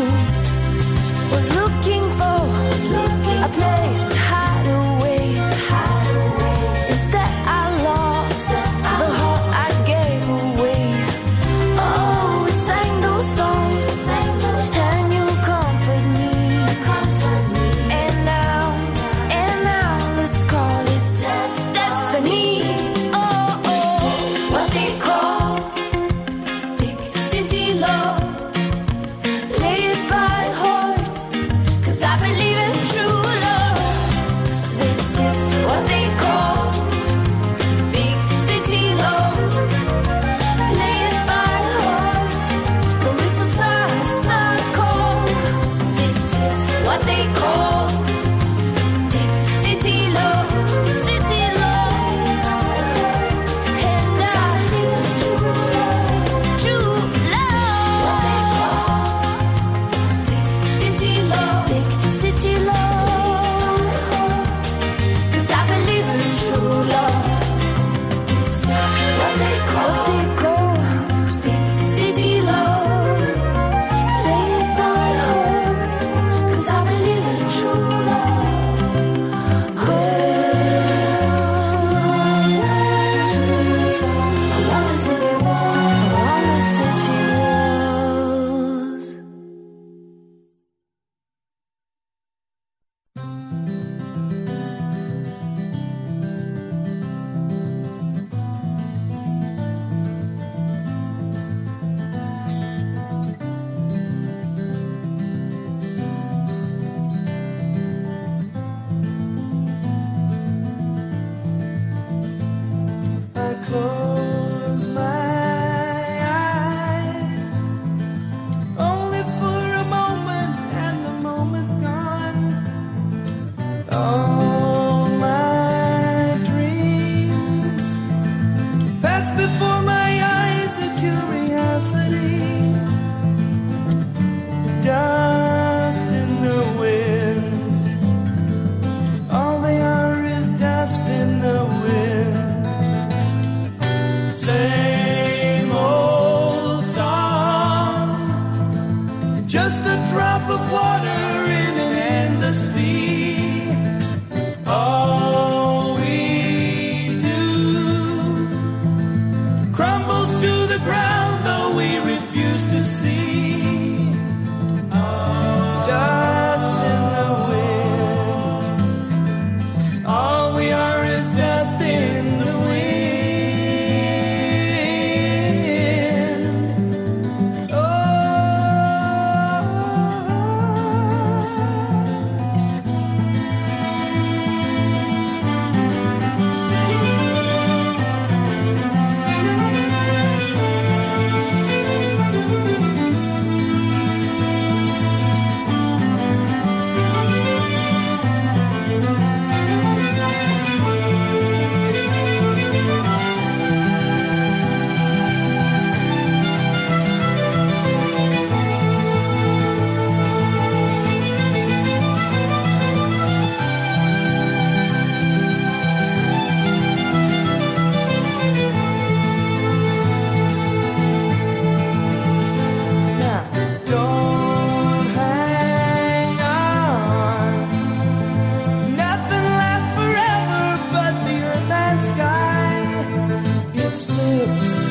Was looking for a place to hide away. Instead I lost the heart I gave away. Oh, we sang those songs, and you comfort me. And now, and now let's call it destiny. Oh, this is what they call big city love. Play it by heart, 'cause I believe in true love. This is what they call big city love. Play it by heart, though it's a sad, sad call. This is what they call big city love, city love. And I believe in true love, true love. What they call big city love, big city love. 'Cause I believe in true love. This is what they call, what they call big city love. Play it by heart, 'cause I believe in true love. There's nowhere to fall along the city wall, along the city walls. I close my eyes only for a moment, and the moment's gone. All my dreams pass before my eyes, a curiosity, dust in the wind. All they are is dust in the wind. Same old song, just a drop of water in an endless sea. All we do crumbles to the ground, though we refuse to see. Oh. it slips.